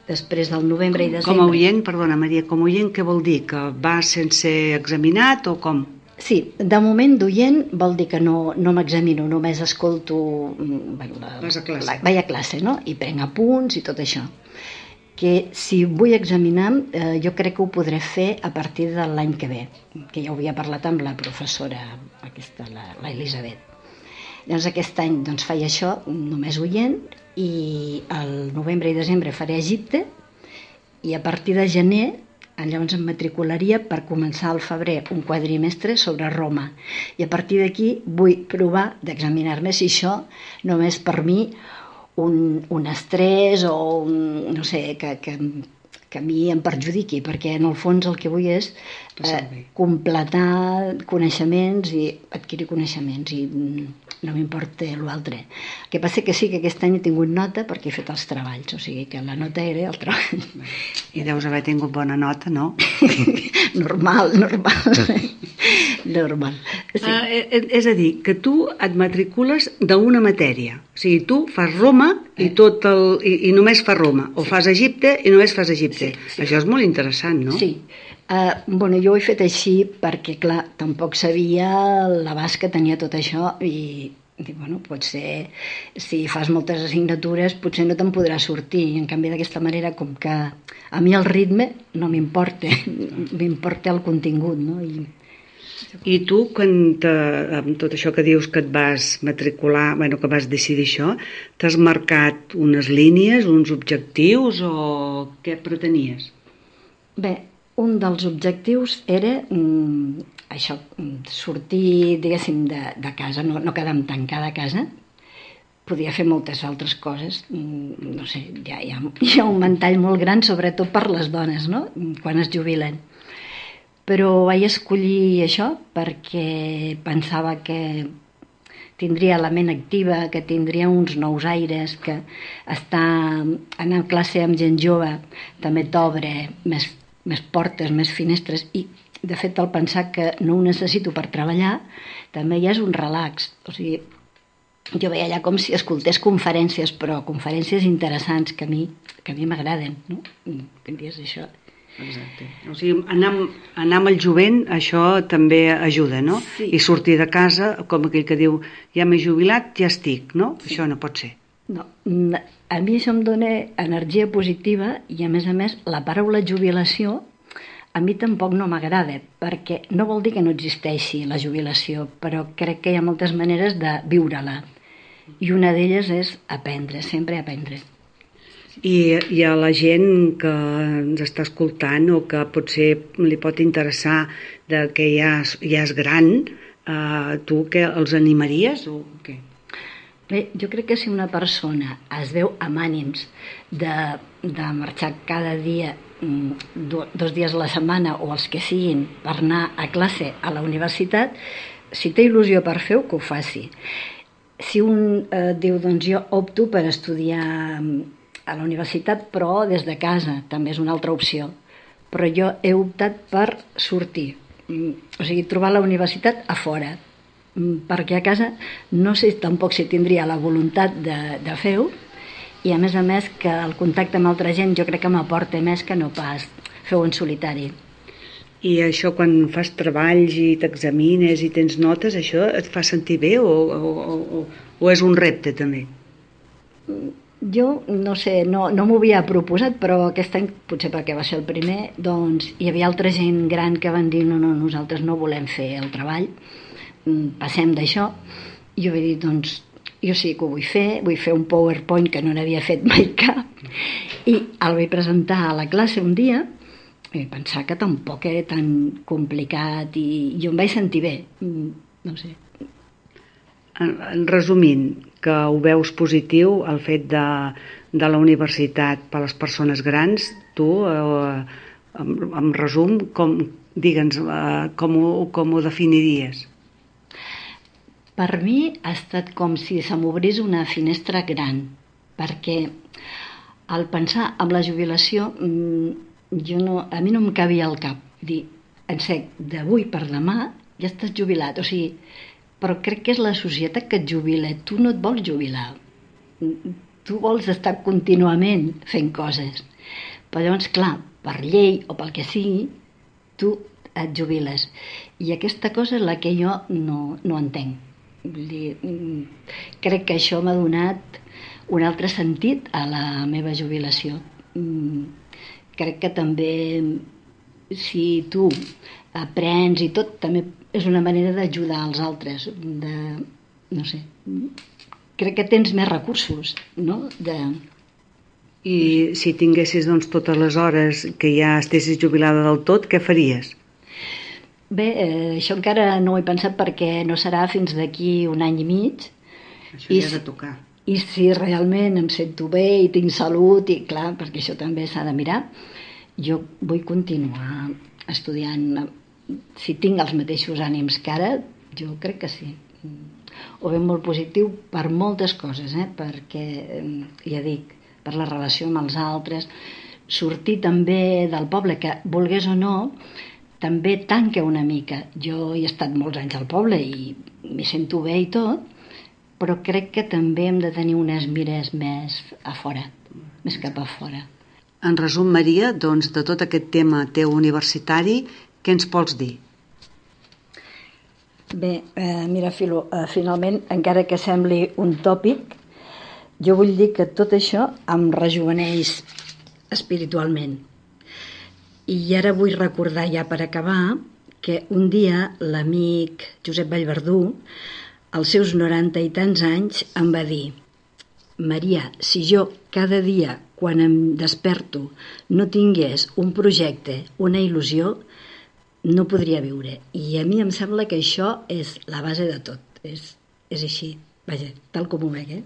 després del novembre i desembre. Com a oient, perdona Maria, com a oient què vol dir? Que va sense examinat o com? Sí, de moment d'oient vol dir que no, no m'examino, només escolto... Bueno, la, Vas a classe. La, vaig a classe, no? I prenc apunts i tot això. Que si vull examinar, eh, jo crec que ho podré fer a partir de l'any que ve, que ja ho havia parlat amb la professora, aquesta, la, la Elisabet. Llavors aquest any doncs, faig això, només oient, i al novembre i desembre faré Egipte, i a partir de gener llavors em matricularia per començar al febrer un quadrimestre sobre Roma, i a partir d'aquí vull provar d'examinar-me si això només per mi un, un estrès o un, no sé, que, que, que a mi em perjudiqui, perquè en el fons el que vull és eh, completar coneixements i adquirir coneixements, i no m'importa l'altre. El que passa que sí que aquest any he tingut nota perquè he fet els treballs, o sigui que la nota era el treball. I deus haver tingut bona nota, no? Normal, normal. Normal. Sí. Ah, és a dir, que tu et matricules d'una matèria. O sigui, tu fas Roma i, tot el, i, i només fas Roma, o fas Egipte i només fas Egipte. Sí, sí. Això és molt interessant, no? Sí. Uh, bueno, jo ho he fet així perquè, clar, tampoc sabia l'abast que tenia tot això, i dic, bueno, potser si fas moltes assignatures potser no te'n podrà sortir, i en canvi d'aquesta manera, com que a mi el ritme no m'importa, m'importa el contingut, no? I... I tu, quan te, amb tot això que dius que et vas matricular, bueno, que vas decidir això, t'has marcat unes línies, uns objectius, o què pretenies? Bé, un dels objectius era mm, això, sortir, diguéssim, de, de casa, no, no quedar tancada a casa. Podia fer moltes altres coses, mm, no sé, hi ha, hi, ha, hi ha un ventall molt gran, sobretot per les dones, no?, quan es jubilen. Però vaig escollir això perquè pensava que tindria la ment activa, que tindria uns nous aires, que estar anar a classe amb gent jove també t'obre més, més portes, més finestres, i de fet el pensar que no ho necessito per treballar també ja és un relax. O sigui, jo veia allà com si escoltés conferències, però conferències interessants que a mi que a mi m'agraden, no? Que dius això. Exacte. O sigui, anar, anar amb el jovent, això també ajuda, no? Sí. I sortir de casa, com aquell que diu, ja m'he jubilat, ja estic, no? Sí. Això no pot ser. No, a mi això em dona energia positiva, i a més a més la paraula jubilació a mi tampoc no m'agrada, perquè no vol dir que no existeixi la jubilació, però crec que hi ha moltes maneres de viure-la, i una d'elles és aprendre, sempre aprendre. I, i a la gent que ens està escoltant o que potser li pot interessar de que ja, ja és gran, eh, tu què, els animaries o què? Bé, jo crec que si una persona es veu amb ànims de, de marxar cada dia, do, dos dies a la setmana o els que siguin, per anar a classe a la universitat, si té il·lusió per fer-ho, que ho faci. Si un eh, diu, doncs jo opto per estudiar a la universitat, però des de casa, també és una altra opció. Però jo he optat per sortir, o sigui, trobar la universitat a fora, perquè a casa no sé tampoc si tindria la voluntat de, de fer-ho, i a més a més que el contacte amb altra gent jo crec que m'aporta més que no pas fer-ho en solitari. I això, quan fas treballs i t'examines i tens notes, això et fa sentir bé o, o, o, o és un repte també? Jo no sé, no, no m'ho havia proposat, però aquest any, potser perquè va ser el primer, doncs hi havia altra gent gran que van dir no, no, nosaltres no volem fer el treball, passem d'això. I jo vaig dir, doncs jo sí que ho vull fer, vull fer un PowerPoint que no n'havia fet mai cap, i el vaig presentar a la classe un dia i vaig pensar que tampoc era tan complicat, i jo em vaig sentir bé, no sé. En resumint, que ho veus positiu, el fet de, de la universitat per a les persones grans, tu, eh, en, en resum, com, digue'ns, eh, com, ho, com ho definiries? Per mi ha estat com si se m'obrís una finestra gran, perquè al pensar en la jubilació, jo no, a mi no em cabia al cap dir, en sec, d'avui per demà ja estàs jubilat, o sigui, però crec que és la societat que et jubila, tu no et vols jubilar, tu vols estar contínuament fent coses, però llavors, clar, per llei o pel que sigui, tu et jubiles, i aquesta cosa és la que jo no, no entenc. Vull dir, crec que això m'ha donat un altre sentit a la meva jubilació. Crec que també, si tu aprens i tot, també és una manera d'ajudar els altres, de, no sé, crec que tens més recursos, no? De... I si tinguessis doncs, totes les hores que ja estessis jubilada del tot, què faries? Bé, eh, això encara no ho he pensat perquè no serà fins d'aquí un any i mig. Això ja ha de tocar. I si realment em sento bé i tinc salut, i clar, perquè això també s'ha de mirar, jo vull continuar estudiant. Si tinc els mateixos ànims que ara, jo crec que sí. Ho veig molt positiu per moltes coses, eh? Perquè, ja dic, per la relació amb els altres, sortir també del poble, que volgués o no, també tanca una mica. Jo he estat molts anys al poble i m'hi sento bé i tot, però crec que també hem de tenir unes mires més a fora, més cap a fora. En resum, Maria, doncs, de tot aquest tema teu universitari, què ens pots dir? Bé, eh, mira, Filo, eh, finalment, encara que sembli un tòpic, jo vull dir que tot això em rejuveneix espiritualment. I ara vull recordar, ja per acabar, que un dia l'amic Josep Vallverdú, als seus noranta i tants anys, em va dir: Maria, si jo cada dia, quan em desperto, no tingués un projecte, una il·lusió, no podria viure. I a mi em sembla que això és la base de tot. És, és així, vaja, tal com ho veig, eh?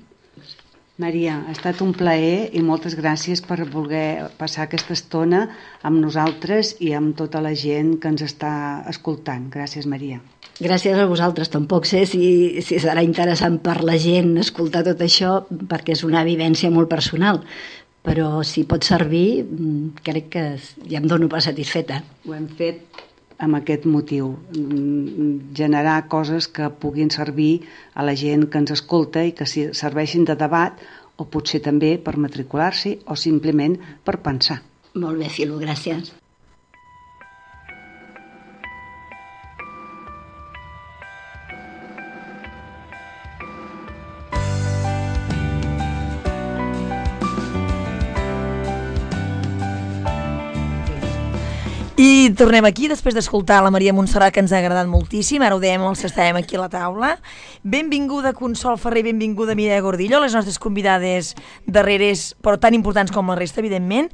Maria, ha estat un plaer i moltes gràcies per voler passar aquesta estona amb nosaltres i amb tota la gent que ens està escoltant. Gràcies, Maria. Gràcies a vosaltres. Tampoc sé si, si serà interessant per la gent escoltar tot això, perquè és una vivència molt personal, però si pot servir, crec que ja em dono per satisfeta. Ho hem fet amb aquest motiu, generar coses que puguin servir a la gent que ens escolta i que serveixin de debat, o potser també per matricular-s'hi o simplement per pensar. Molt bé, Filo, gràcies. I tornem aquí després d'escoltar la Maria Montserrat, que ens ha agradat moltíssim. Ara ho dèiem els que estàvem aquí a la taula. Benvinguda Consol Ferrer, benvinguda Mireia Gordillo, les nostres convidades darreres, però tan importants com la resta, evidentment.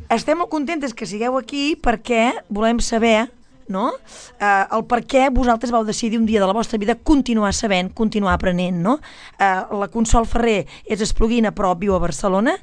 Estem molt contentes que sigueu aquí perquè volem saber, no? Uh, el per què vosaltres vau decidir un dia de la vostra vida continuar sabent, continuar aprenent, no? Uh, la Consol Ferrer és espluguina però viu a Barcelona,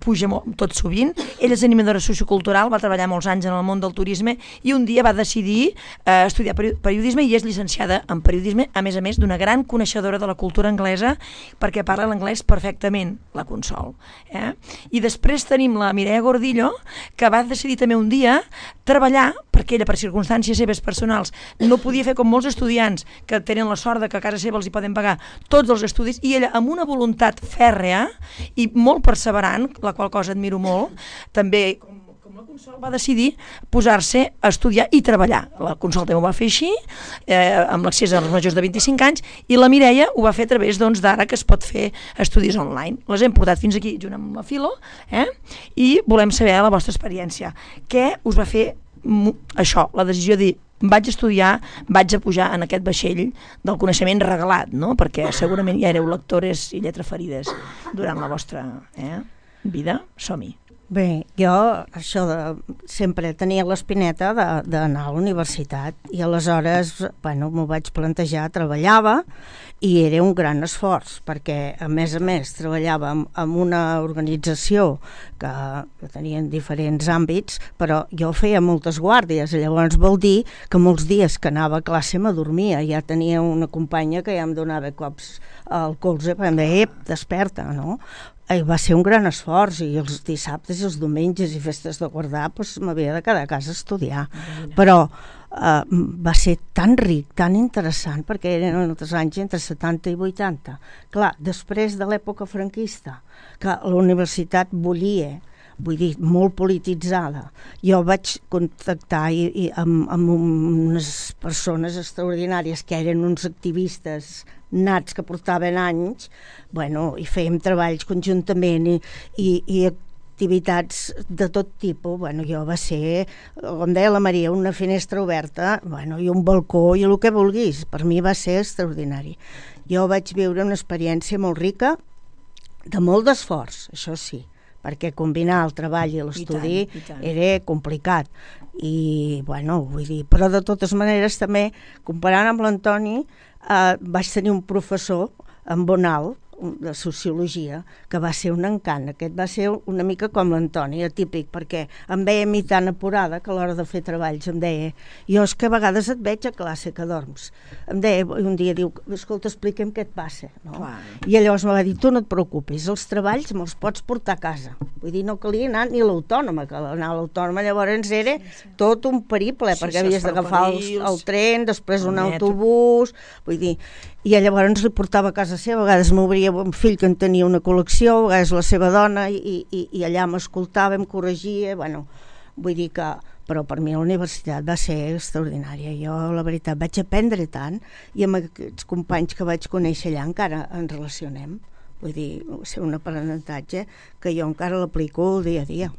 puja molt, tot sovint. Ella és animadora sociocultural, va treballar molts anys en el món del turisme i un dia va decidir uh, estudiar periodisme i és llicenciada en periodisme, a més a més d'una gran coneixedora de la cultura anglesa, perquè parla l'anglès perfectament, la Consol. Eh? I després tenim la Mireia Gordillo, que va decidir també un dia treballar, perquè ella per circumstàncies seves personals no podia fer com molts estudiants que tenen la sort de que a casa seva els hi poden pagar tots els estudis, i ella amb una voluntat fèrrea i molt perseverant, la qual cosa admiro molt, també com, com la Consol va decidir posar-se a estudiar i treballar. La Consol també ho va fer així, eh, amb l'accés als majors de vint-i-cinc anys, i la Mireia ho va fer a través doncs, d'ara que es pot fer estudis online. Les hem portat fins aquí junt amb la Filo, eh? I volem saber la vostra experiència. Què us va fer això, la decisió de dir vaig estudiar, vaig a pujar en aquest vaixell del coneixement regalat, no? Perquè segurament ja éreu lectores i lletraferides durant la vostra eh, vida. Som-hi. Bé, jo això de, sempre tenia l'espineta de- d'anar a la universitat i aleshores, bueno, m'ho vaig plantejar, treballava i era un gran esforç perquè, a més a més, treballava amb, amb una organització que, que tenien diferents àmbits, però jo feia moltes guàrdies, llavors vol dir que molts dies que anava a classe m'adormia, ja tenia una companya que ja em donava cops al colze, perquè em deia, ep, desperta, no? I va ser un gran esforç i els dissabtes i els diumenges i festes de guardar doncs, m'havia de quedar a casa a estudiar. Però eh, va ser tan ric, tan interessant, perquè eren els anys entre setanta i vuitanta. Clar, després de l'època franquista, que la universitat bullia, vull dir, molt polititzada, jo vaig contactar i, i amb, amb unes persones extraordinàries que eren uns activistes nats que portaven anys, bueno, i fèiem treballs conjuntament i, i, i activitats de tot tipus. Bueno, jo va ser, com deia la Maria, una finestra oberta, bueno, i un balcó i el que vulguis. Per mi va ser extraordinari. Jo vaig viure una experiència molt rica, de molt d'esforç, això sí, perquè combinar el treball i l'estudi I tant, i tant. era complicat. I, bueno, vull dir, però de totes maneres també, comparant amb l'Antoni, eh, vaig tenir un professor en Bonal, de sociologia, que va ser un encant. Aquest va ser una mica com l'Antoni, atípic, perquè em veia a mi tan apurada que a l'hora de fer treballs em deia, jo és que a vegades et veig a classe que dorms. Em deia, un dia diu, escolta, explica'm què et passa. No? Clar. I llavors me va dir, tu no et preocupis, els treballs me'ls pots portar a casa. Vull dir, no calia anar ni a l'autònoma, que anar a l'autònoma llavors era sí, sí. tot un periple, Sí, perquè sí, havies els d'agafar el, ferrocarrils, el tren, després el un metro. autobús, vull dir, i llavors li portava a casa seva, a vegades m'obria un fill que en tenia una col·lecció, a vegades la seva dona, i, i, i allà m'escoltava, em corregia, bueno, vull dir que, però per mi la universitat va ser extraordinària. Jo, la veritat, vaig aprendre tant, i amb aquests companys que vaig conèixer allà encara ens relacionem. Vull dir, va ser un aprenentatge que jo encara l'aplico el dia a dia.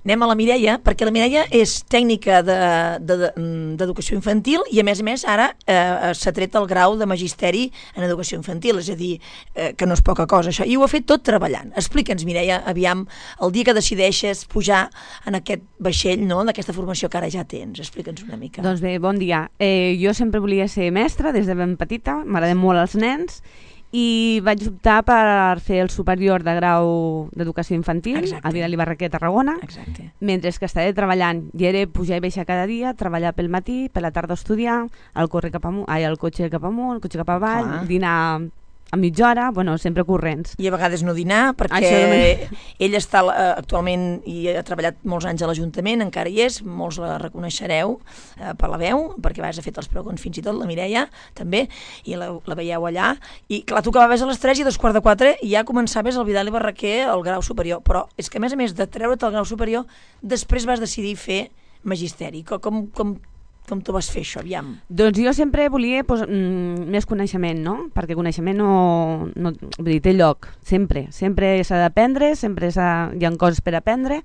Anem a la Mireia, perquè la Mireia és tècnica de- de- de- d'educació infantil i, a més a més, ara eh, s'ha tret el grau de magisteri en educació infantil, és a dir, eh, que no és poca cosa això, i ho ha fet tot treballant. Explica'ns, Mireia, aviam, el dia que decideixes pujar en aquest vaixell, no?, d'aquesta formació que ara ja tens. Explica'ns una mica. Doncs bé, bon dia. Eh, jo sempre volia ser mestra des de ben petita, m'agraden molt els nens, i vaig optar per fer el superior de grau d'educació infantil Exacte. a Vidal i Barraquer, Tarragona, Exacte. mentre que estava treballant i era pujar i baixar cada dia, treballar pel matí, per la tarda estudiar, el, corre cap amunt, ai, el cotxe cap amunt, el cotxe cap avall, Clar. dinar a mitja hora, bueno, sempre corrents. I a vegades no dinar, perquè Això també. ell està eh, actualment i ha treballat molts anys a l'Ajuntament, encara hi és, molts la reconeixereu eh, per la veu, perquè a vegades ha fet els pregons fins i tot, la Mireia també, i la, la veieu allà, i clar, tu acabaves a les tres i a dos quarts de quatre i ja començaves el Vidal i Barraquer el grau superior, però és que a més a més de treure't el grau superior, després vas decidir fer magisteri. Com, com, com Com tu vas fer això, aviam? Doncs jo sempre volia pues, mm, més coneixement, no? Perquè coneixement no, no vull dir, té lloc, sempre. Sempre s'ha d'aprendre, sempre s'ha, hi ha coses per aprendre,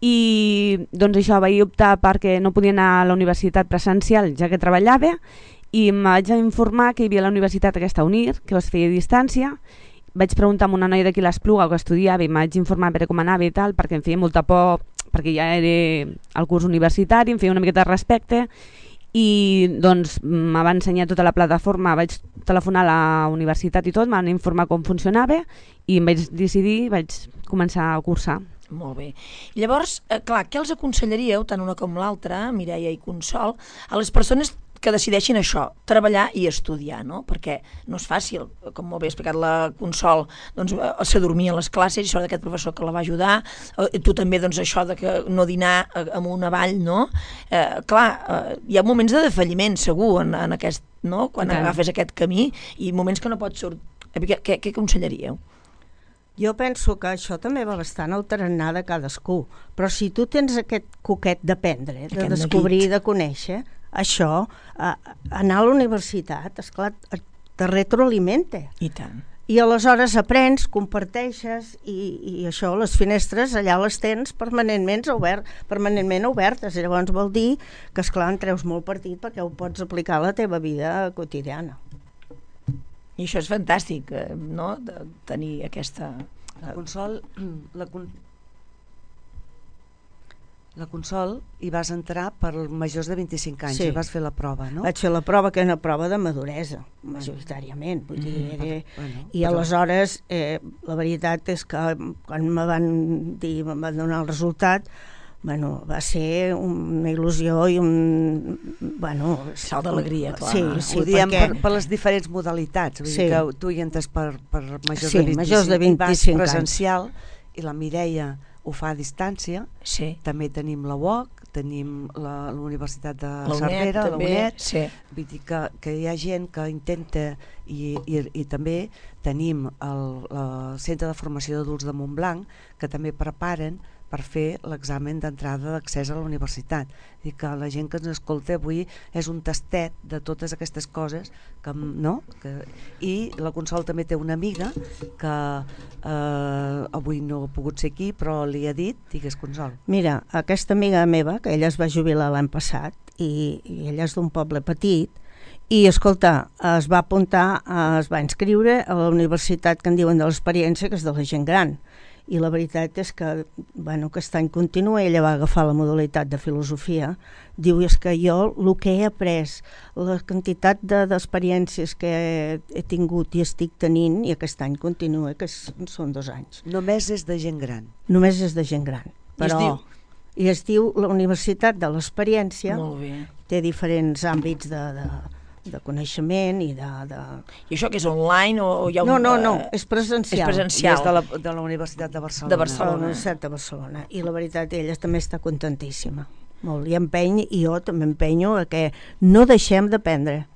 i doncs això, vaig optar perquè no podia anar a la universitat presencial, ja que treballava, i em vaig informar que hi havia la universitat aquesta UNIR, que es feia a distància. Vaig preguntar a una noia d'aquí l'Espluga que estudiava i em vaig informar per com anava i tal, perquè em feia molta por, perquè ja era el curs universitari, em feia una miqueta de respecte, i doncs me va ensenyar tota la plataforma, vaig telefonar a la universitat i tot, m'han informar com funcionava i em vaig decidir, vaig començar a cursar. Molt bé. Llavors, eh, clar, què els aconsellaríeu, tant una com l'altra, Mireia i Consol, a les persones que decideixin això, treballar i estudiar, no? Perquè no és fàcil, com molt bé ha explicat la Consol, doncs eh, s'adormia a les classes, això d'aquest professor que la va ajudar, eh, tu també, doncs això de que no dinar eh, amunt avall, no? Eh, clar, eh, hi ha moments de defalliment, segur, en, en aquest, no? Quan Clar. agafes aquest camí, i moments que no pots sortir. Què, què, què aconsellaríeu? Jo penso que això també va bastant al tarannà de cadascú, però si tu tens aquest coquet d'aprendre, de Aquest descobrir, neguit. de conèixer, això, eh, anar a la universitat, esclar, et- te retroalimenta. I tant. I aleshores aprens, comparteixes, i, i això, les finestres allà les tens permanentment, obert, permanentment obertes. I llavors vol dir que, esclar, en treus molt partit perquè ho pots aplicar a la teva vida quotidiana. I això és fantàstic, eh, no?, de tenir aquesta... La Consol, la, con, La Consol hi vas entrar per majors de vint-i-cinc anys, Sí. i vas fer la prova, no? Vaig fer la prova, que era una prova de maduresa, majoritàriament. Vull dir, Mm, era... bueno, I però- aleshores, eh, la veritat és que quan me van dir, me van donar el resultat, bueno, va ser una il·lusió i un... Bueno, Salt d'alegria, clar. Sí, Sí, sí, ho diem perquè... per, per les diferents modalitats, vull Sí. dir que tu hi entres per, per majors, Sí, de vint-i-cinc, majors de i vas vint-i-cinc anys. presencial, i la Mireia ho fa a distància. Sí. També tenim la U O C, tenim la, la Universitat de La UNED, Cervera, la també, UNED, sí. vull dir que, que hi ha gent que intenta, i, i, i també tenim el, el Centre de Formació d'Adults de Montblanc, que també preparen per fer l'examen d'entrada d'accés a la universitat. I que la gent que ens escolta avui és un tastet de totes aquestes coses que, no? Que, i la Consol també té una amiga que eh, avui no ha pogut ser aquí, però li ha dit, digues, Consol. Mira, aquesta amiga meva, que ella es va jubilar l'any passat, i, i ella és d'un poble petit, i, escolta, es va apuntar, es va inscriure a la universitat que en diuen de l'experiència, que és de la gent gran. I la veritat és que, bueno, aquest any continua, ella va agafar la modalitat de filosofia, diu, és que jo el que he après, la quantitat de, d'experiències que he, he tingut i estic tenint, i aquest any continua, que és, són dos anys. Només és de gent gran. Només és de gent gran. I es Però, diu? I es diu la Universitat de l'Experiència, Molt bé. té diferents àmbits de, de, de coneixement i de... de... I això que és online o, o hi ha un... No, no, no, eh, és presencial. És I presencial. és de la, de la Universitat de Barcelona. De A la Barcelona. Universitat de Barcelona. I la veritat, ella també està contentíssima. Molt. I empeny, i jo també empenyo a que no deixem d'aprendre.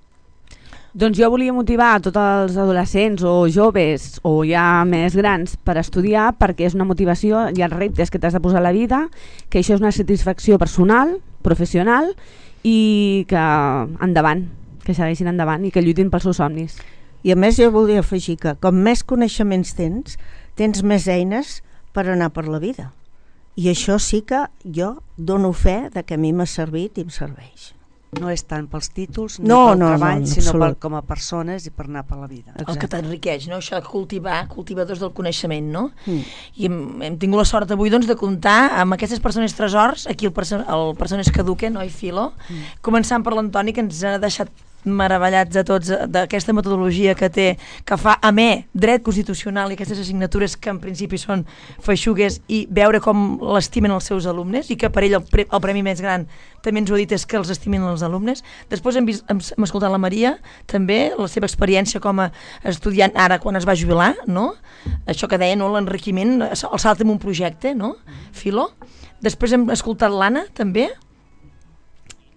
Doncs jo volia motivar a tots els adolescents o joves o ja més grans per estudiar, perquè és una motivació, hi ha reptes que t'has de posar a la vida, que això és una satisfacció personal, professional, i que endavant, que segueixin endavant i que lluitin pels seus somnis. I a més jo volia afegir que com més coneixements tens, tens més eines per anar per la vida. I això sí que jo dono fe de que a mi m'ha servit i em serveix. No és tant pels títols ni No, pel no, treball, no, en sinó per, absolut. com a persones i per anar per la vida. El que t'enriqueix, no? Això de cultivar, cultivadors del coneixement, no? Mm. I hem, hem tingut la sort avui doncs, de comptar amb aquestes persones tresors, aquí el, perso el Persones que Eduquen, oi, Filo? Mm. Començant per l'Antoni, que ens ha deixat meravellats a tots d'aquesta metodologia que té, que fa amè dret constitucional i aquestes assignatures que en principi són feixugues, i veure com l'estimen els seus alumnes, i que per ell el, pre el premi més gran també ens ho ha dit, és que els estimin els alumnes. Després hem, vist, hem, hem escoltat la Maria també, la seva experiència com a estudiant ara quan es va jubilar, no? Això que deia, no? L'enriquiment, el salt en un projecte, no? Filo. Després hem escoltat l'Anna també.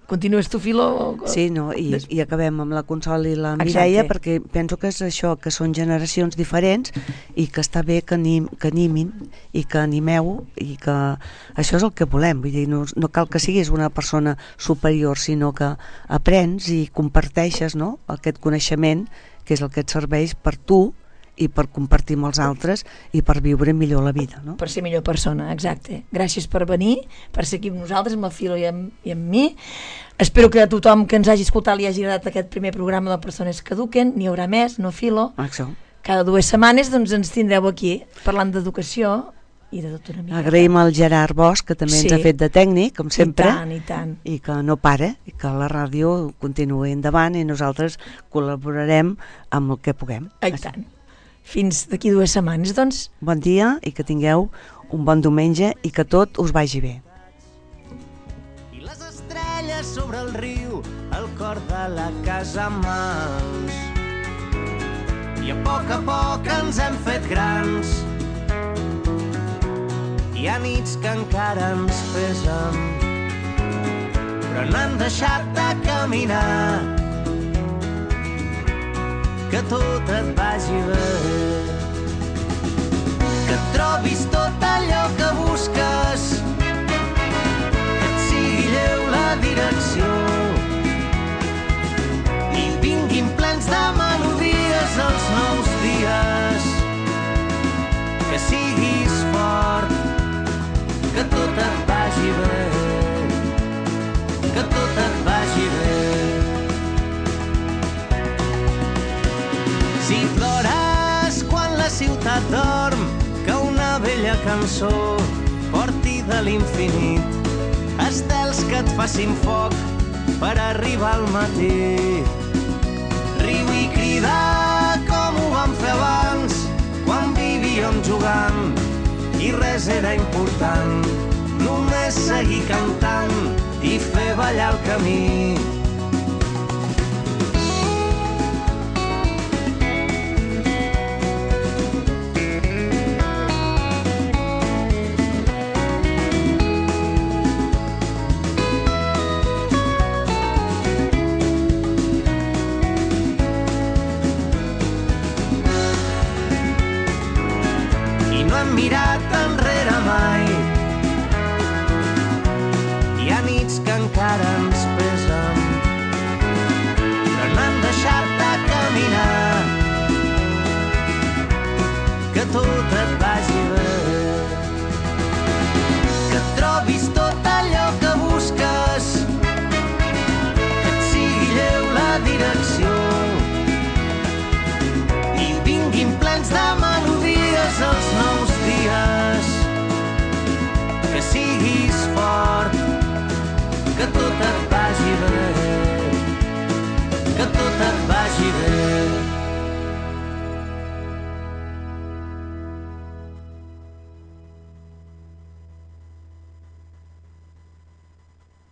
Continues tu, Filo? Sí, no, i, Des... i acabem amb la Consol i la Exacte. Mireia, perquè penso que és això, que són generacions diferents i que està bé que, anim, que animin i que animeu, i que això és el que volem. Vull dir, no, no cal que siguis una persona superior, sinó que aprens i comparteixes, no?, aquest coneixement, que és el que et serveix per tu i per compartir amb els altres i per viure millor la vida, no? Per ser millor persona, exacte. Gràcies per venir, per ser aquí amb nosaltres, amb la Filo i amb, i amb mi. Espero que a tothom que ens hagi escoltat li hagi agradat aquest primer programa de Persones que Eduquen. N'hi haurà més, no, Filo? Això. Cada dues setmanes doncs, ens tindreu aquí parlant d'educació i de tot una mica. Agraïm al Gerard Bosch, que també Sí. ens ha fet de tècnic, com sempre. I tant, i tant. I que no para, i que la ràdio continuï endavant i nosaltres col·laborarem amb el que puguem. I tant. Fins d'aquí dues setmanes, doncs. Bon dia i que tingueu un bon diumenge i que tot us vagi bé. I les estrelles sobre el riu, el cor de la casa a mans. I a poc a poc ens hem fet grans. Hi ha nits que encara ens pesen, però no hem deixat de caminar. Que tot et vagi bé, que et trobis tot allò que busques, que et sigui lleu la direcció i vinguin plens de melodies els nous dies, que siguis fort, que tot et vagi bé, que tot et vagi bé. Si plores quan la ciutat dorm, que una vella cançó porti de l'infinit cels que et facin foc per arribar al matí. Riu i crida com ho vam fer abans, quan vivíem jugant i res era important. Només seguir cantant i fer ballar el camí. Mirat enrere mai. Hi ha nits que encara ens pesen, però no hem deixat de caminar. Que tot et vagi bé, que trobis tot allò que busques, que et sigui lleu la direcció i vinguin plens de melodies els nous dies, que siguis fort